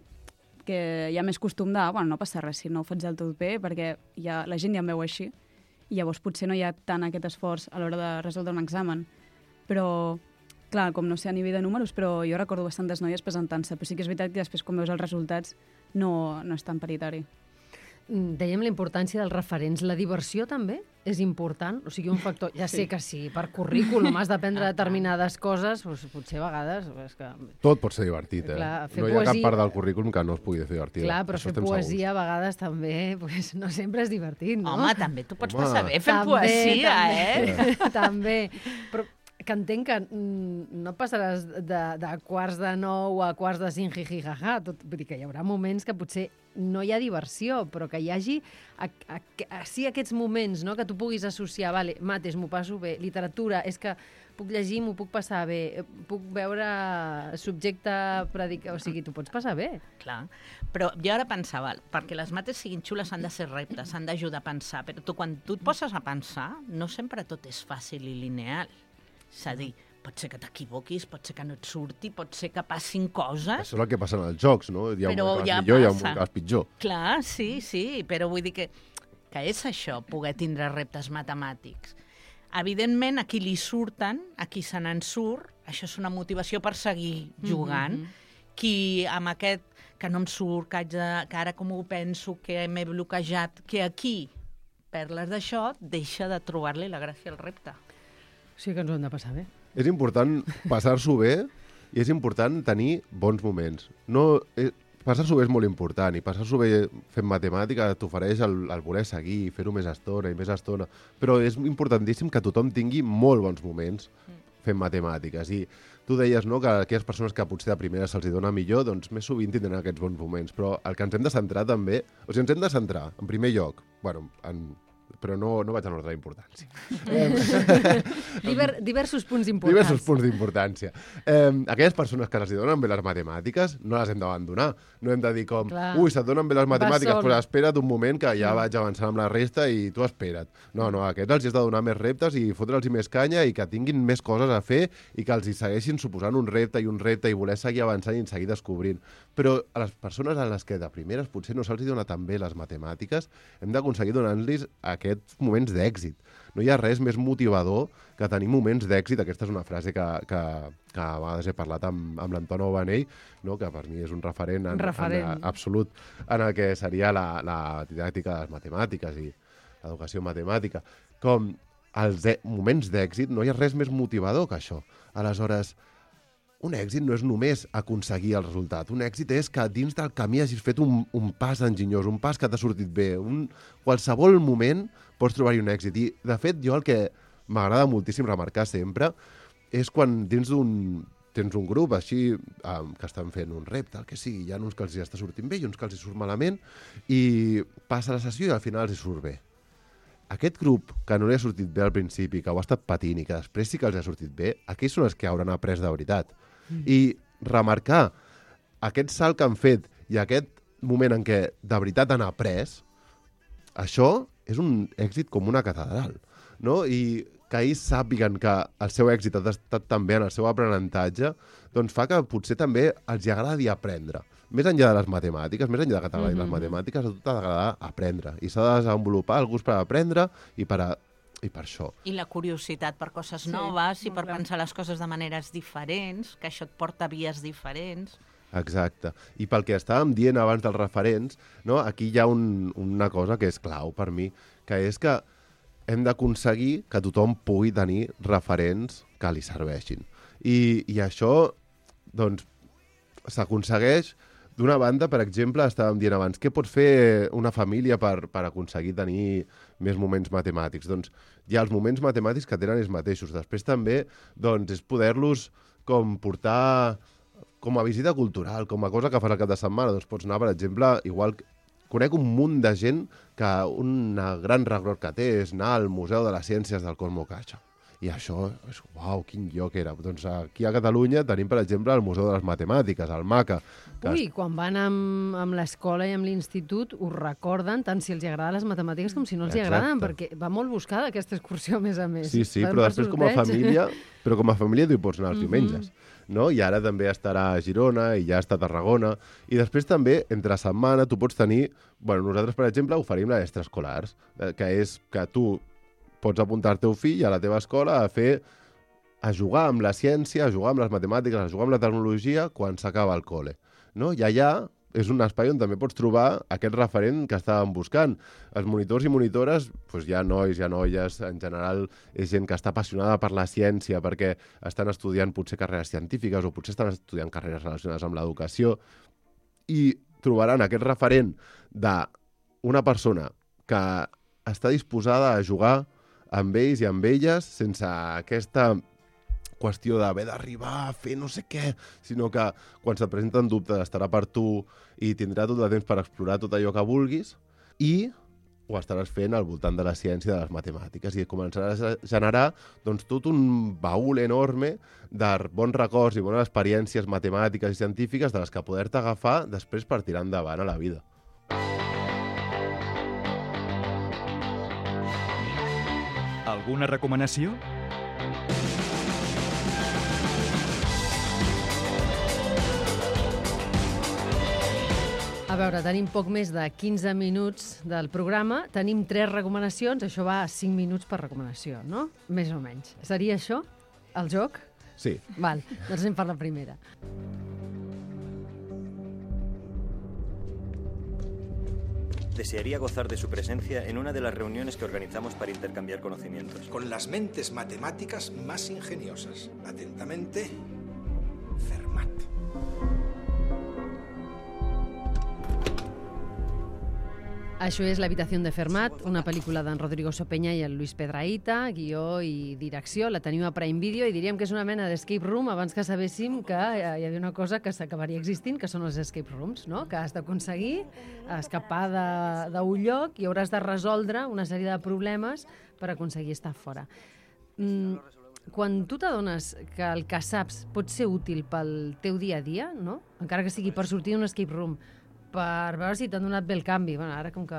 que hi ha més costum de, bueno, no passa res si no ho faig del tot bé, perquè la gent ja em veu així, i llavors potser no hi ha tant aquest esforç a l'hora de resoldre un examen. Però, clar, com no sé a nivell de números, però jo recordo bastantes noies presentant-se, però sí que és veritat que després, quan veus els resultats, no és tan paritari. Dèiem la importància dels referents. La diversió també és important? O sigui, un factor... Ja sé que sí, per currículum has d'aprendre determinades coses, doncs potser a vegades... És que... Tot pot ser divertit, Clar, no hi ha cap part del currículum que no es pugui fer divertida. Clar, però fer poesia a vegades també pues, no sempre és divertit, no? Home, també tu pots passar bé fent poesia, També. Però que entenc que no passaràs de quarts de 9 a quarts de 5 jijijaja. Vull dir que hi haurà moments que potser no hi ha diversió, però que hi hagi sí aquests moments, no? Que tu puguis associar, vale, mates, m'ho passo bé, literatura, és que puc llegir, m'ho puc passar bé, puc veure subjecte predicar, o sigui, tu pots passar bé. Clar, però jo ara pensava, perquè les mates siguin xules han de ser reptes, han d'ajudar a pensar, però quan tu et poses a pensar, no sempre tot és fàcil i lineal. És a dir, pot ser que t'equivoquis, pot ser que no et surti, pot ser que passin coses. Això és el que passa en els jocs, no? Hi ha un Però moment que ja vas millor, hi ha un passa. moment que vas pitjor. Clar, sí, però vull dir que és això, poder tindre reptes matemàtics. Evidentment, a qui li surten, a qui se n'en surt, això és una motivació per seguir jugant. Qui amb aquest, que no em surt, que ara com ho penso, que m'he bloquejat, que aquí perles d'això, deixa de trobar-li la gràcia al repte. Sí que ens ho hem de passar bé. És important passar-s'ho bé i és important tenir bons moments. Passar-s'ho bé és molt important i passar-s'ho bé fent matemàtica t'ofereix el voler seguir, fer-ho més estona i més estona, però és importantíssim que tothom tingui molt bons moments fent matemàtiques. I tu deies, no?, que aquelles persones que potser de primera se'ls dona millor, doncs més sovint tindran aquests bons moments, però el que ens hem de centrar també, o sigui, ens hem de centrar, en primer lloc, bueno, però no vaig en ordre d'importància. Diversos punts importants. Diversos punts d'importància. Aquelles persones que els donen bé les matemàtiques no les hem d'abandonar. No hem de dir com, Clar. ui, se't donen bé les matemàtiques, sol. però espera't un moment que ja vaig avançant amb la resta i tu espera't. No, a aquests els has de donar més reptes i fotre'ls més canya i que tinguin més coses a fer i que els hi segueixin suposant un repte i voler seguir avançant i seguir descobrint. Però a les persones a les que de primeres potser no se'ls dona tan bé les matemàtiques, hem d'aconseguir donar-los aquests moments d'èxit. No hi ha res més motivador que tenir moments d'èxit. Aquesta és una frase que a vegades he parlat amb l'Anton Obanell, no?, que per mi és un referent, absolut en el que seria la didàctica de les matemàtiques i l'educació matemàtica. Com els moments d'èxit, no hi ha res més motivador que això. Aleshores, un èxit no és només aconseguir el resultat. Un èxit és que dins del camí hagis fet un pas enginyós, un pas que t'ha sortit bé. Qualsevol moment pots trobar-hi un èxit. I, de fet, jo el que m'agrada moltíssim remarcar sempre és quan tens un grup així que estan fent un repte, el que sigui, hi ha uns que els està sortint bé i uns que els surt malament, i passa la sessió i al final els surt bé. Aquest grup que no li ha sortit bé al principi, que ho ha estat patint i que després sí que els ha sortit bé, aquells són els que hauran après de veritat. I remarcar aquest salt que han fet i aquest moment en què de veritat han après, això és un èxit com una catedral, no? I que ells sàpiguen que el seu èxit ha estat també en el seu aprenentatge, doncs fa que potser també els agradi aprendre. Més enllà de les matemàtiques, més enllà de que t'agradi les matemàtiques, a tu t'ha d'agradar aprendre. I s'ha de desenvolupar el gust per aprendre i per això. I la curiositat per coses noves i per pensar les coses de maneres diferents, que això et porta a vies diferents. Exacte. I pel que estàvem dient abans dels referents, no? Aquí hi ha una cosa que és clau per mi, que és que hem d'aconseguir que tothom pugui tenir referents que li serveixin. I això, doncs, s'aconsegueix. D'una banda, per exemple, estàvem dient abans, què pot fer una família per aconseguir tenir més moments matemàtics? Doncs hi ha els moments matemàtics que tenen ells mateixos. Després també doncs, és poder-los com portar com a visita cultural, com a cosa que fas al cap de setmana. Doncs pots anar, per exemple, igual... Conec un munt de gent que un gran record que té és anar al Museu de les Ciències del Cosmo Caixa. I això és, uau, quin lloc era. Doncs aquí a Catalunya tenim, per exemple, el Museu de les Matemàtiques, el MACA. Ui, quan van amb l'escola i amb l'institut ho recorden tant si els agraden les matemàtiques com si no els agraden, perquè va molt buscada aquesta excursió, a més a més. Sí, però després com a família tu hi pots anar els diumenges. No? I ara també estarà a Girona i ja està a Tarragona. I després també, entre setmana, tu pots tenir... Bueno, nosaltres, per exemple, oferim les extraescolars, que és que tu pots apuntar el teu fill a la teva escola a jugar amb la ciència, a jugar amb les matemàtiques, a jugar amb la tecnologia quan s'acaba el col·le. No? I allà és un espai on també pots trobar aquest referent que estàvem buscant. Els monitors i monitores, doncs hi ha nois, hi ha noies, en general és gent que està apassionada per la ciència, perquè estan estudiant potser carreres científiques o potser estan estudiant carreres relacionades amb l'educació, i trobaran aquest referent d'una persona que està disposada a jugar amb ells i amb elles sense aquesta qüestió d'haver d'arribar a fer no sé què, sinó que quan se't presenten dubtes estarà per tu i tindrà tot el temps per explorar tot allò que vulguis i ho estaràs fent al voltant de la ciència i de les matemàtiques i començaràs a generar doncs, tot un baúl enorme de bons records i bones experiències matemàtiques i científiques de les que poder-te agafar després per tirar endavant a la vida. Alguna recomanació? veure, tenim poc més de 15 minuts del programa, tenim 3 recomanacions, això va a 5 minuts per recomanació, no? Més o menys. Seria això, el joc? Sí. Val, doncs anem per la primera. Desearía gozar de su presencia en una de las reuniones que organizamos para intercambiar conocimientos. Con las mentes matemáticas más ingeniosas. Atentamente, Fermat. Això és L'habitació de Fermat, una pel·lícula d'en Rodrigo Sopenya i el Luis Pedrahita, guió i direcció. La tenim a Prime Video i diríem que és una mena d'escape room abans que sabéssim que hi havia una cosa que s'acabaria existint, que són els escape rooms, no? Que has d'aconseguir escapar d'un lloc i hauràs de resoldre una sèrie de problemes per aconseguir estar fora. Quan tu t'adones que el que saps pot ser útil pel teu dia a dia, no? Encara que sigui per sortir d'un escape room, per veure si t'han donat bé el canvi. Bueno, ara com que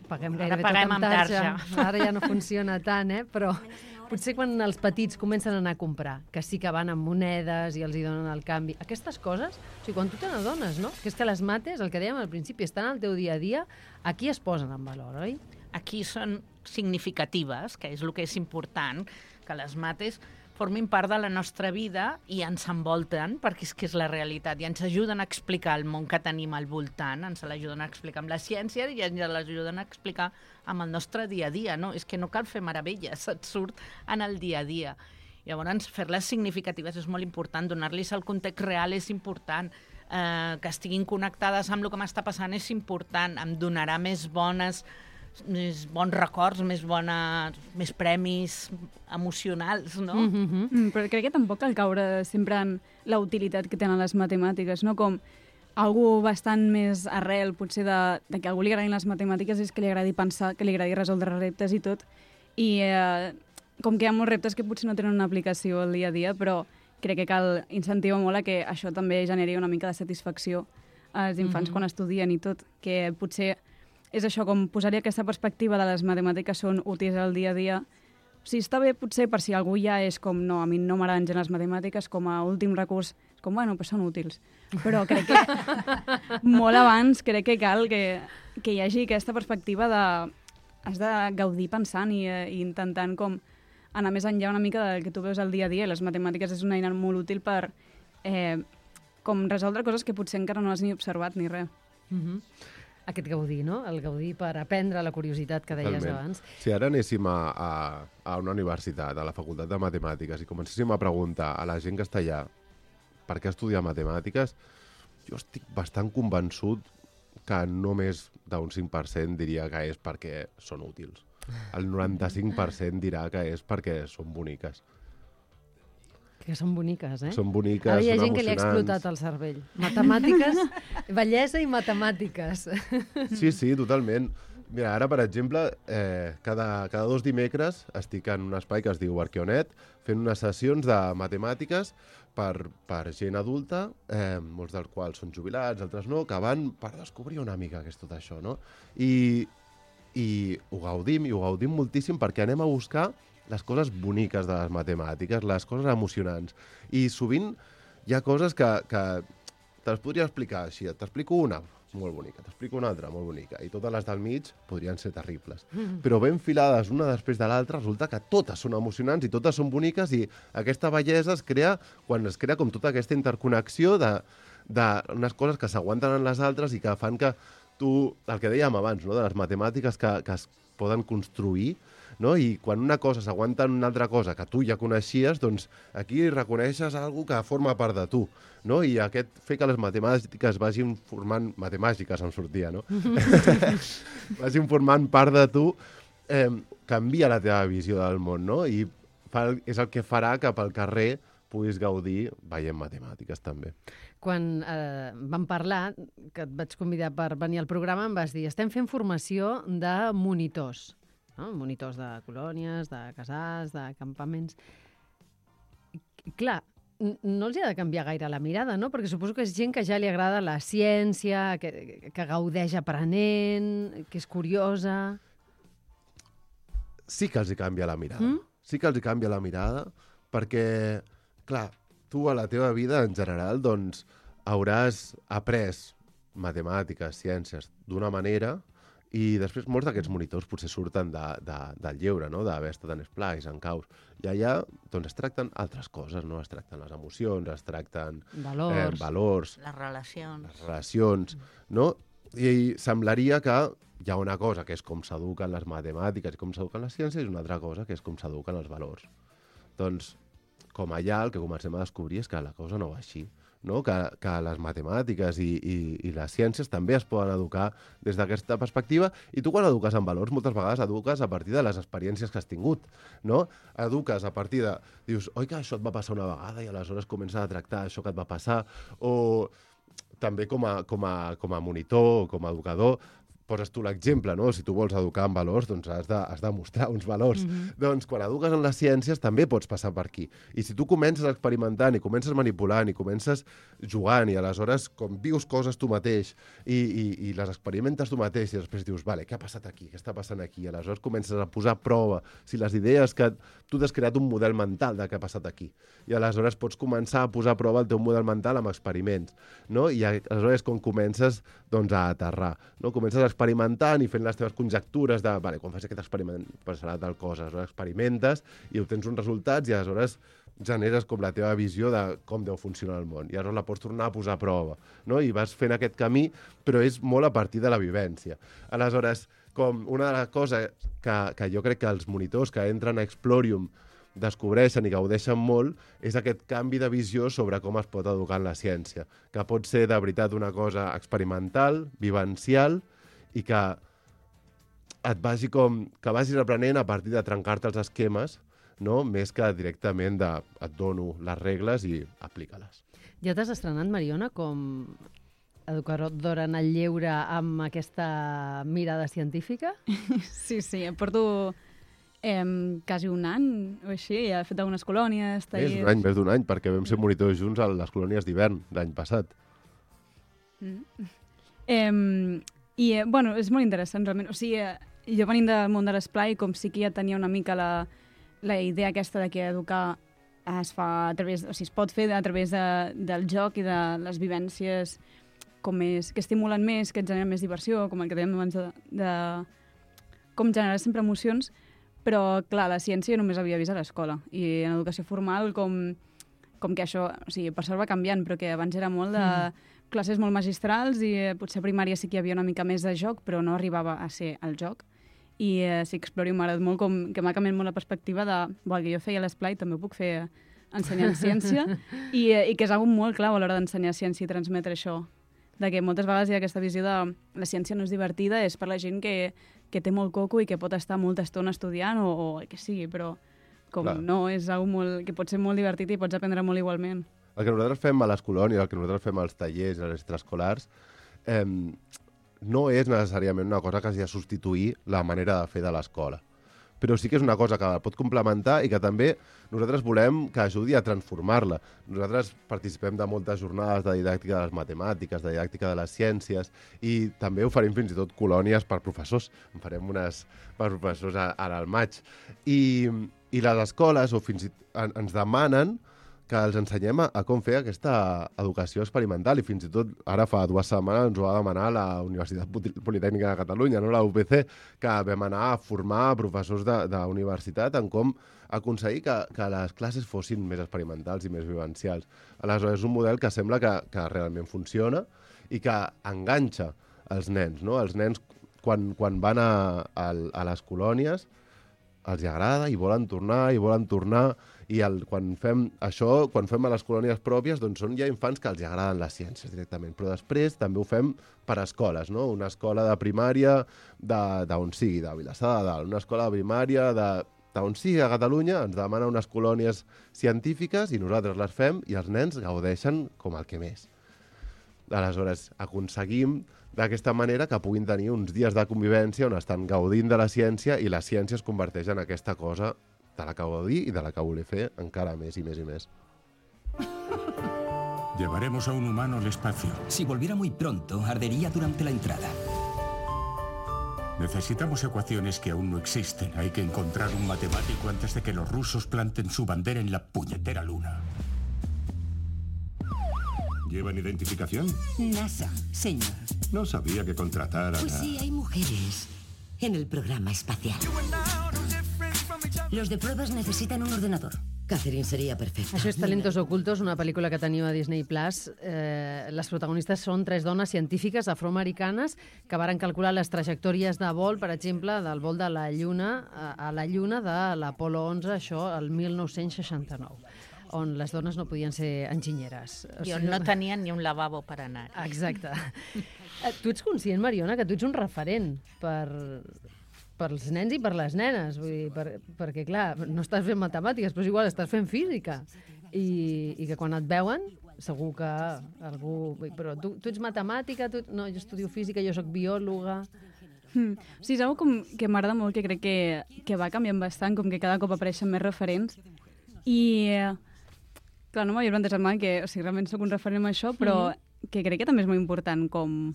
paguem gairebé tot amb tarja, ara ja no funciona tant, però potser quan els petits comencen a anar a comprar, que sí que van amb monedes i els hi donen el canvi, aquestes coses, o sigui, quan tu te n'adones, no? Que és que les mates, el que dèiem al principi, estan al teu dia a dia, aquí es posen en valor, oi? Aquí són significatives, que és el que és important, que les mates formin part de la nostra vida i ens envolten, perquè és que és la realitat, i ens ajuden a explicar el món que tenim al voltant, ens l'ajuden a explicar amb la ciència i ens l'ajuden a explicar amb el nostre dia a dia, no? És que no cal fer meravelles, et surt en el dia a dia. Llavors, fer-les significatives és molt important, donar-los el context real és important, que estiguin connectades amb el que m'està passant és important, em donarà més bons records, més premis emocionals, no? Però crec que tampoc cal caure sempre en la utilitat que tenen les matemàtiques, no? Com algú bastant més arrel, potser, de que a algú li agradin les matemàtiques és que li agradi pensar, que li agradi resoldre reptes i tot. I com que hi ha molts reptes que potser no tenen una aplicació al dia a dia, però crec que cal incentivar molt a que això també generi una mica de satisfacció als infants quan estudien i tot, que potser és això, com posar-hi aquesta perspectiva de les matemàtiques són útils al dia a dia. O sigui, està bé potser per si algú ja és com, no, a mi no m'agraden gens les matemàtiques, com a últim recurs, com, bueno, pues són útils. Però crec que molt abans crec que cal que hi hagi aquesta perspectiva de... Has de gaudir pensant i intentant com anar més enllà una mica del que tu veus al dia a dia. Les matemàtiques és una eina molt útil per com resoldre coses que potser encara no has ni observat ni res. Aquest gaudir, no? El gaudir per aprendre la curiositat que deies abans. Si ara anéssim a una universitat, a la Facultat de Matemàtiques, i comencéssim a preguntar a la gent que està allà per què estudiar matemàtiques, jo estic bastant convençut que només d'un 5% diria que és perquè són útils. El 95% dirà que és perquè són boniques. Que són boniques, Són boniques, ara hi ha són gent que li ha explotat el cervell. Matemàtiques, bellesa i matemàtiques. Sí, totalment. Mira, ara, per exemple, cada 2 dimecres estic en un espai que es diu Arqueonet, fent unes sessions de matemàtiques per gent adulta, molts dels quals són jubilats, altres no, que van per descobrir una mica què és tot això, no? I ho gaudim moltíssim perquè anem a buscar les coses boniques de les matemàtiques, les coses emocionants. I sovint hi ha coses que te les podria explicar així. T'explico una, molt bonica, t'explico una altra, molt bonica, i totes les del mig podrien ser terribles. Però ben filades una després de l'altra, resulta que totes són emocionants i totes són boniques, i aquesta bellesa es crea quan es crea com tota aquesta interconnexió d'unes coses que s'aguanten en les altres i que fan que tu, el que dèiem abans, no? De les matemàtiques que es poden construir, no? I quan una cosa s'aguanta en una altra cosa que tu ja coneixies, doncs aquí reconeixes alguna que forma part de tu, no? I aquest fer que les matemàtiques vagin formant... Matemàgiques em sortia, no? Vagin formant part de tu, canvia la teva visió del món, no? I és el que farà que pel carrer puguis gaudir veient matemàtiques, també. Quan vam parlar, que et vaig convidar per venir al programa, em vas dir, estem fent formació de monitors, no? Monitors de colònies, de casals, de campaments. I, clar, no els ha de canviar gaire la mirada, no? Perquè suposo que és gent que ja li agrada la ciència, que gaudeix aprenent, que és curiosa... Sí que els hi canvia la mirada. Sí que els hi canvia la mirada, perquè, clar, tu a la teva vida, en general, doncs, hauràs après matemàtiques, ciències, d'una manera, i després molts d'aquests monitors potser surten del lleure, no? D'haver estat en Splice, en Caus. I allà doncs, es tracten altres coses, no? Es tracten les emocions, es tracten valors, les relacions, no? I semblaria que hi ha una cosa que és com s'eduquen les matemàtiques i com s'eduquen les ciències i una altra cosa que és com s'eduquen els valors. Doncs, com allà, el que comencem a descobrir és que la cosa no va així, no? Que les matemàtiques i les ciències també es poden educar des d'aquesta perspectiva, i tu quan eduques en valors moltes vegades eduques a partir de les experiències que has tingut, no? Eduques a partir de... Dius, oi que això et va passar una vegada i aleshores comences a tractar això que et va passar, o també com a monitor o com a educador poses tu l'exemple, no? Si tu vols educar en valors, doncs has de mostrar uns valors. Doncs quan eduques en les ciències també pots passar per aquí. I si tu comences experimentant i comences manipulant i comences jugant i aleshores com vius coses tu mateix i les experimentes tu mateix i després dius, vale, què ha passat aquí? Què està passant aquí? I aleshores comences a posar a prova si les idees que tu t'has creat un model mental de què ha passat aquí. I aleshores pots començar a posar a prova el teu model mental amb experiments, no? I aleshores com comences doncs, a aterrar, no? Comences a experimentant i fent les teves conjectures de, vale, quan fas aquest experiment passarà tal cosa, aleshores experimentes i obtens uns resultats i aleshores generes com la teva visió de com deu funcionar el món i aleshores la pots tornar a posar a prova, no? I vas fent aquest camí, però és molt a partir de la vivència. Aleshores, com una de les coses que jo crec que els monitors que entren a Explorium descobreixen i gaudeixen molt és aquest canvi de visió sobre com es pot educar en la ciència, que pot ser de veritat una cosa experimental, vivencial, i que vagis aprenent a partir de trencar-te els esquemes, no? Més que directament et dono les regles i aplica-les. Ja t'has estrenat, Mariona, com educadora en el lleure amb aquesta mirada científica? Sí, porto quasi un any o així, he fet algunes colònies, tallers... Més d'un any, perquè vam ser monitors junts a les colònies d'hivern l'any passat. Bueno, és molt interessant, realment. O sigui, jo venint del món de l'esplai, com sí que ja tenia una mica la idea aquesta de que educar es fa a través... O sigui, es pot fer a través del joc i de les vivències que estimulen més, que et generen més diversió, com el que dèiem abans de com generar sempre emocions, però, clar, la ciència només havia vist a l'escola. I en educació formal, com que això... O sigui, per sort va canviant, però que abans era molt de classes molt magistrals i potser a primària sí que hi havia una mica més de joc, però no arribava a ser el joc. I sí, Explorium m'ha agradat molt, que m'ha canviat molt la perspectiva de el que jo feia a l'esplai també ho puc fer ensenyant ciència i que és algo molt clau a l'hora d'ensenyar ciència i transmetre això. De que moltes vegades hi ha aquesta visió de la ciència no és divertida, és per la gent que té molt coco i que pot estar molta estona estudiant o el que sigui, però no, és algo que pot ser molt divertit i pots aprendre molt igualment. El que nosaltres fem a les colònies, el que nosaltres fem als tallers, a les extraescolars, no és necessàriament una cosa que hagi de substituir la manera de fer de l'escola. Però sí que és una cosa que pot complementar i que també nosaltres volem que ajudi a transformar-la. Nosaltres participem de moltes jornades de didàctica de les matemàtiques, de didàctica de les ciències, i també oferim fins i tot colònies per professors. En farem unes per professors ara al maig. I les escoles ens demanen que els ensenyem a com fer aquesta educació experimental i fins i tot ara fa 2 setmanes ens ho va demanar la Universitat Politècnica de Catalunya, no? La UPC, que vam anar a formar professors d'universitat en com aconseguir que les classes fossin més experimentals i més vivencials. Aleshores, és un model que sembla que realment funciona i que enganxa els nens, no? Els nens, quan van a les colònies, els agrada i volen tornar, i quan fem això, quan fem a les colònies pròpies, doncs són ja infants que els agraden les ciències directament, però després també ho fem per escoles, no? Una escola de primària d'on sigui, de Vilassar de Dalt, una escola de primària d'on sigui a Catalunya, ens demana unes colònies científiques i nosaltres les fem i els nens gaudeixen com el que més. Aleshores, aconseguim d'aquesta manera que puguin tenir uns dies de convivència on estan gaudint de la ciència i la ciència es converteix en aquesta cosa de la que gaudir i de la que voler fer encara més i més i més. Llevaremos a un humano al espacio. Si volviera muy pronto, ardería durante la entrada. Necesitamos ecuaciones que aún no existen. Hay que encontrar un matemático antes de que los rusos planten su bandera en la puñetera luna. ¿Llevan identificación? NASA, señor. No sabía que contrataran Pues a... sí, hay mujeres en el programa espacial. Los de pruebas necesitan un ordenador. Catherine sería perfecta. Això és Talentos Ocultos, una pel·lícula que teniu a Disney+. Les protagonistes són 3 dones científiques afroamericanes que varen calcular les trajectòries de vol, per exemple, del vol de la Lluna a la Lluna de l'Apolo 11, això el 1969, on les dones no podien ser enginyeres. I on no tenien ni un lavabo per anar. Exacte. Tu ets conscient, Mariona, que tu ets un referent pels nens i per les nenes, vull dir, perquè, clar, no estàs fent matemàtiques, però és igual, estàs fent física. I que quan et veuen, segur que algú... Però tu ets matemàtica, no, jo estudio física, jo sóc biòloga... Sí, és una cosa que m'agrada molt, que crec que va canviant bastant, com que cada cop apareixen més referents. I, clar, no m'havia plantejat mai que realment sóc un referent amb això, però que crec que també és molt important com...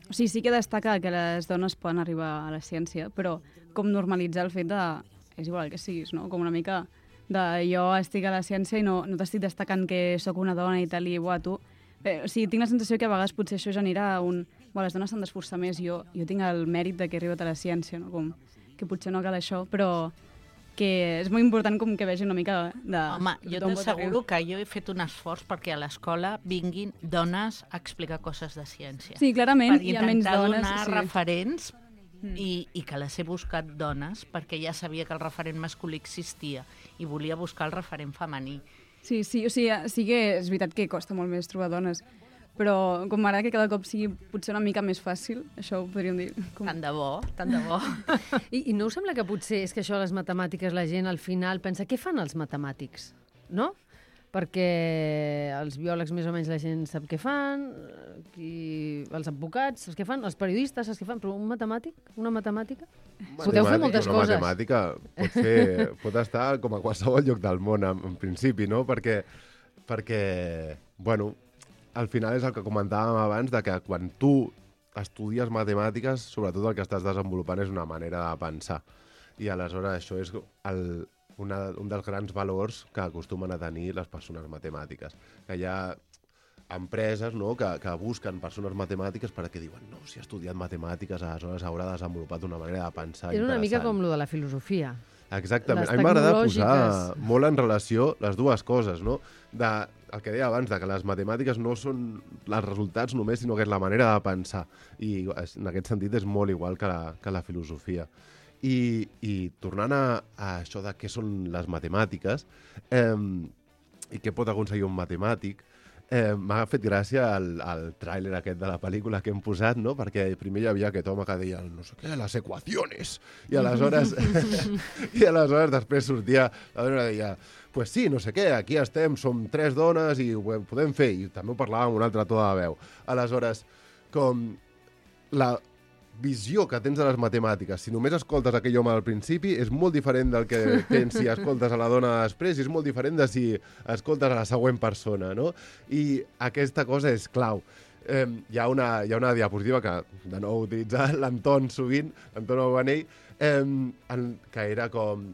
O sigui, sí que destaca que les dones poden arribar a la ciència, però com normalitzar el fet de... És igual el que siguis, no? Com una mica de jo estic a la ciència i no t'estic destacant que sóc una dona i tal, i tu... O sigui, tinc la sensació que a vegades potser això genera un... les dones s'han d'esforçar més, jo tinc el mèrit de que he arribat a la ciència, no? Com que potser no cal això, però que és molt important com que vegi una mica de... Home, jo t'asseguro que jo he fet un esforç perquè a l'escola vinguin dones a explicar coses de ciència. Sí, clarament, hi ha menys dones. Per intentar donar referents i que les he buscat dones perquè ja sabia que el referent masculí existia i volia buscar el referent femení. Sí, o sigui, sí que és veritat que costa molt més trobar dones, però com m'agrada que cada cop sigui potser una mica més fàcil, això ho podríem dir. Tant de bo, tant de bo. I no us sembla que potser és que això, les matemàtiques, la gent al final pensa, què fan els matemàtics? No? Perquè els biòlegs més o menys la gent sap què fan, els advocats saps què fan, els periodistes saps què fan, però un matemàtic, una matemàtica? Podeu fer moltes coses. Una matemàtica pot estar com a qualsevol lloc del món, en principi, no? Perquè bueno, al final és el que comentàvem abans, de que quan tu estudies matemàtiques, sobretot el que estàs desenvolupant és una manera de pensar. I aleshores això és un dels grans valors que acostumen a tenir les persones matemàtiques. Que hi ha empreses, no?, que busquen persones matemàtiques perquè diuen, no, si ha estudiat matemàtiques, aleshores haurà desenvolupat una manera de pensar interessant. És una mica com lo de la filosofia. Exactament. A mi m'agrada posar molt en relació les dues coses, no? El que deia abans, que les matemàtiques no són els resultats només, sinó que és la manera de pensar. I en aquest sentit és molt igual que la filosofia. I tornant a això de què són les matemàtiques i què pot aconseguir un matemàtic, m'ha fet gràcia el tràiler aquest de la pel·lícula que hem posat, no? Perquè primer hi havia aquest home que deia no sé què, les equaciones, i aleshores després sortia la dona i deia pues sí, no sé què, aquí estem, som 3 dones i ho podem fer, i també ho parlàvem amb un altre to de veu. Aleshores, com la visió que tens de les matemàtiques, si només escoltes aquell home al principi, és molt diferent del que tens si escoltes a la dona després, i és molt diferent de si escoltes a la següent persona, no? I aquesta cosa és clau. Hi ha una diapositiva que, de nou, utilitza l'Anton sovint, l'Anton Obanell, que era com...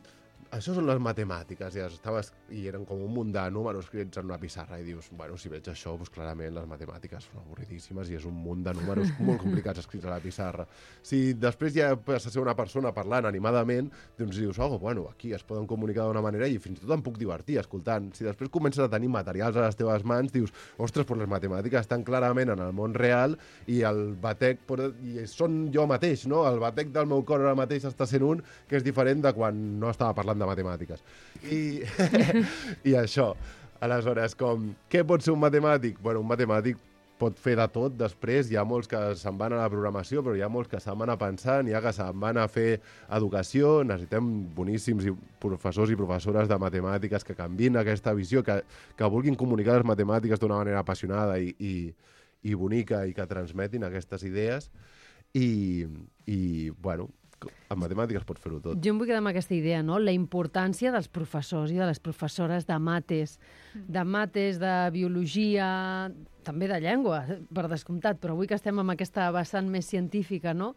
Això són les matemàtiques, i eren com un munt de números escrits en una pissarra, i dius, bueno, si veig això, doncs clarament les matemàtiques són avorridíssimes i és un munt de números molt complicats escrits a la pissarra. Si després ja passa a ser una persona parlant animadament, doncs dius, bueno, aquí es poden comunicar d'una manera i fins i tot em puc divertir escoltant. Si després comences a tenir materials a les teves mans, dius, ostres, però les matemàtiques estan clarament en el món real i el batec, i són jo mateix, no? El batec del meu cor ara mateix està sent un que és diferent de quan no estava parlant de matemàtiques. I això. Aleshores, què pot ser un matemàtic? Bueno, un matemàtic pot fer de tot després. Hi ha molts que se'n van a la programació, però hi ha molts que se'n van a pensar, n'hi ha que se'n van a fer educació. Necessitem boníssims professors i professores de matemàtiques que canviïn aquesta visió, que vulguin comunicar les matemàtiques d'una manera apassionada i bonica i que transmetin aquestes idees. I bueno, en matemàtiques pots fer-ho tot. Jo em vull quedar amb aquesta idea, no? La importància dels professors i de les professores de mates, de biologia, també de llengua, per descomptat, però avui que estem amb aquesta vessant més científica, no?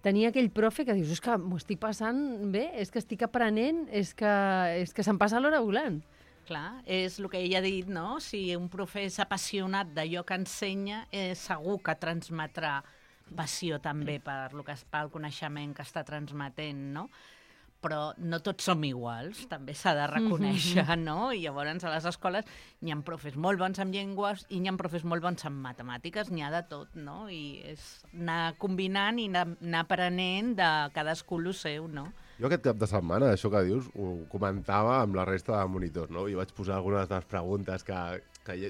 Tenir aquell profe que dius, és que m'ho estic passant bé, és que estic aprenent, és que se'm passa l'hora volant. Clar, és el que ella ha dit, no? Si un profe és apassionat d'allò que ensenya, segur que transmetrà passió també pel coneixement que està transmetent, no? Però no tots som iguals, també s'ha de reconèixer, no? I llavors a les escoles n'hi ha profes molt bons en llengües i n'hi ha profes molt bons en matemàtiques, n'hi ha de tot, no? I és anar combinant i anar aprenent de cadascú el seu, no? Jo aquest cap de setmana, això que dius, ho comentava amb la resta de monitors, no? I vaig posar algunes de les preguntes que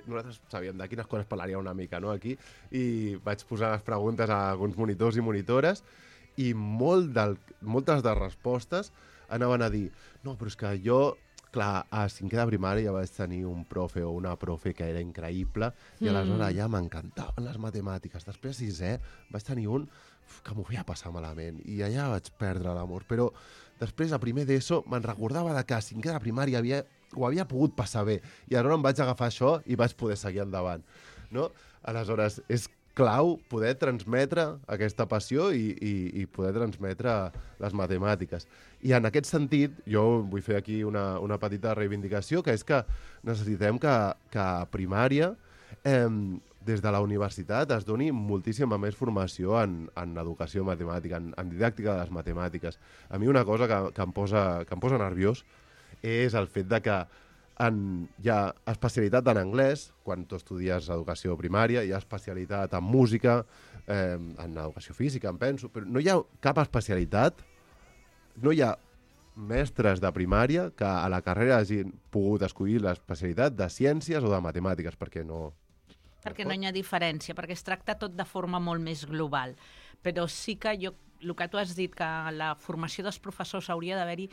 nosaltres sabíem de quines coses parlaria una mica, no?, aquí, i vaig posar les preguntes a alguns monitors i monitores, i moltes de respostes anaven a dir no, però és que jo, clar, a 5è de primària ja vaig tenir un profe o una profe que era increïble i aleshores ja m'encantaven les matemàtiques. Després a 6è vaig tenir un que m'ho feia passar malament i allà vaig perdre l'amor. Però després, a primer d'ESO, me'n recordava que a 5è de primària ho havia pogut passar bé i aleshores em vaig agafar això i vaig poder seguir endavant, no? Aleshores, és clau poder transmetre aquesta passió i poder transmetre les matemàtiques. I en aquest sentit, jo vull fer aquí una petita reivindicació, que és que necessitem que a primària, des de la universitat, es doni moltíssima més formació en educació matemàtica, en didàctica de les matemàtiques. A mi una cosa que em posa nerviós és el fet de que hi ha especialitat en anglès, quan tu estudies educació primària, hi ha especialitat en música, en educació física, em penso, però no hi ha cap especialitat, no hi ha mestres de primària que a la carrera hagin pogut escollir l'especialitat de ciències o de matemàtiques, perquè no... Perquè no hi ha diferència, perquè es tracta tot de forma molt més global. Però sí que el que tu has dit, que la formació dels professors hauria d'haver-hi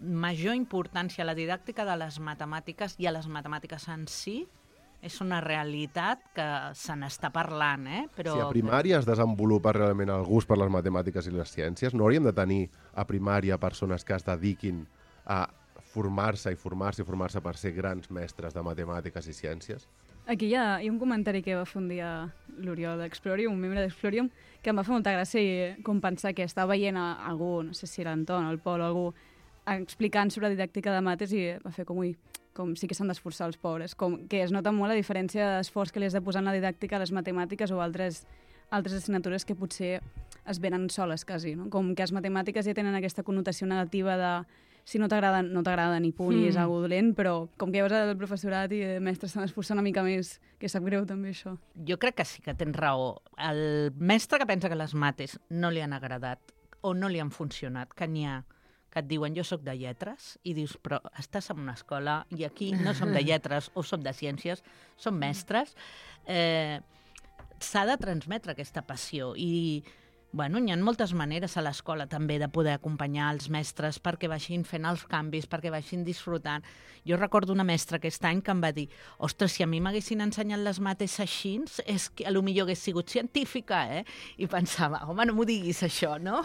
major importància a la didàctica de les matemàtiques i a les matemàtiques en si, és una realitat que se n'està parlant, Però... Si a primària es desenvolupa realment el gust per les matemàtiques i les ciències, no hauríem de tenir a primària persones que es dediquin a formar-se per ser grans mestres de matemàtiques i ciències? Aquí hi ha un comentari que va fer un dia l'Oriol d'Explorium, un membre d'Explorium, que em va fer molta gràcia i com pensar que estava veient algú, no sé si l'Anton o el Pol o algú, explicant sobre didàctica de mates i va fer com sí que s'han d'esforçar els pobres, com que es nota molt la diferència d'esforç que li has de posar en la didàctica a les matemàtiques o altres assignatures que potser es venen soles quasi, no? Com que les matemàtiques ja tenen aquesta connotació negativa de si no t'agrada, no t'agrada ni punt i és algo dolent, però com que ja veus el professorat i el mestre s'han d'esforçar una mica més, que sap greu també això. Jo crec que sí que tens raó. El mestre que pensa que les mates no li han agradat o no li han funcionat, que n'hi ha que et diuen jo sóc de lletres i dius però estàs en una escola i aquí no som de lletres o som de ciències, som mestres, s'ha de transmetre aquesta passió i bueno, hi ha moltes maneres a l'escola també de poder acompanyar els mestres perquè vagin fent els canvis, perquè vagin disfrutant. Jo recordo una mestra aquest any que em va dir ostres, si a mi m'haguessin ensenyat les mates així, és que potser hagués sigut científica, I pensava, home, no m'ho diguis això, no?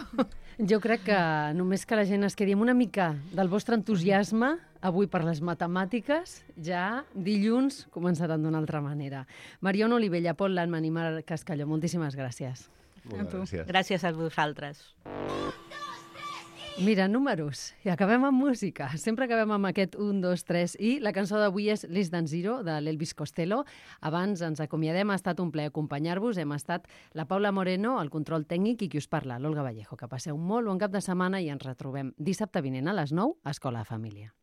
Jo crec que només que la gent es quedi amb una mica del vostre entusiasme avui per les matemàtiques, ja dilluns començaran d'una altra manera. Mariona Olivella, Pol Landman i Marc Cascalló, moltíssimes gràcies. Gràcies. Gràcies a vosaltres. Mira, números. I acabem amb música. Sempre acabem amb aquest 1, 2, 3 i la cançó d'avui és Less Than Zero, de l'Elvis Costello. Abans ens acomiadem, ha estat un plaer acompanyar-vos. Hem estat la Paula Moreno, el control tècnic, i qui us parla, l'Olga Vallejo. Que passeu molt bon cap de setmana i ens retrobem dissabte vinent a les 9 a Escola de Família.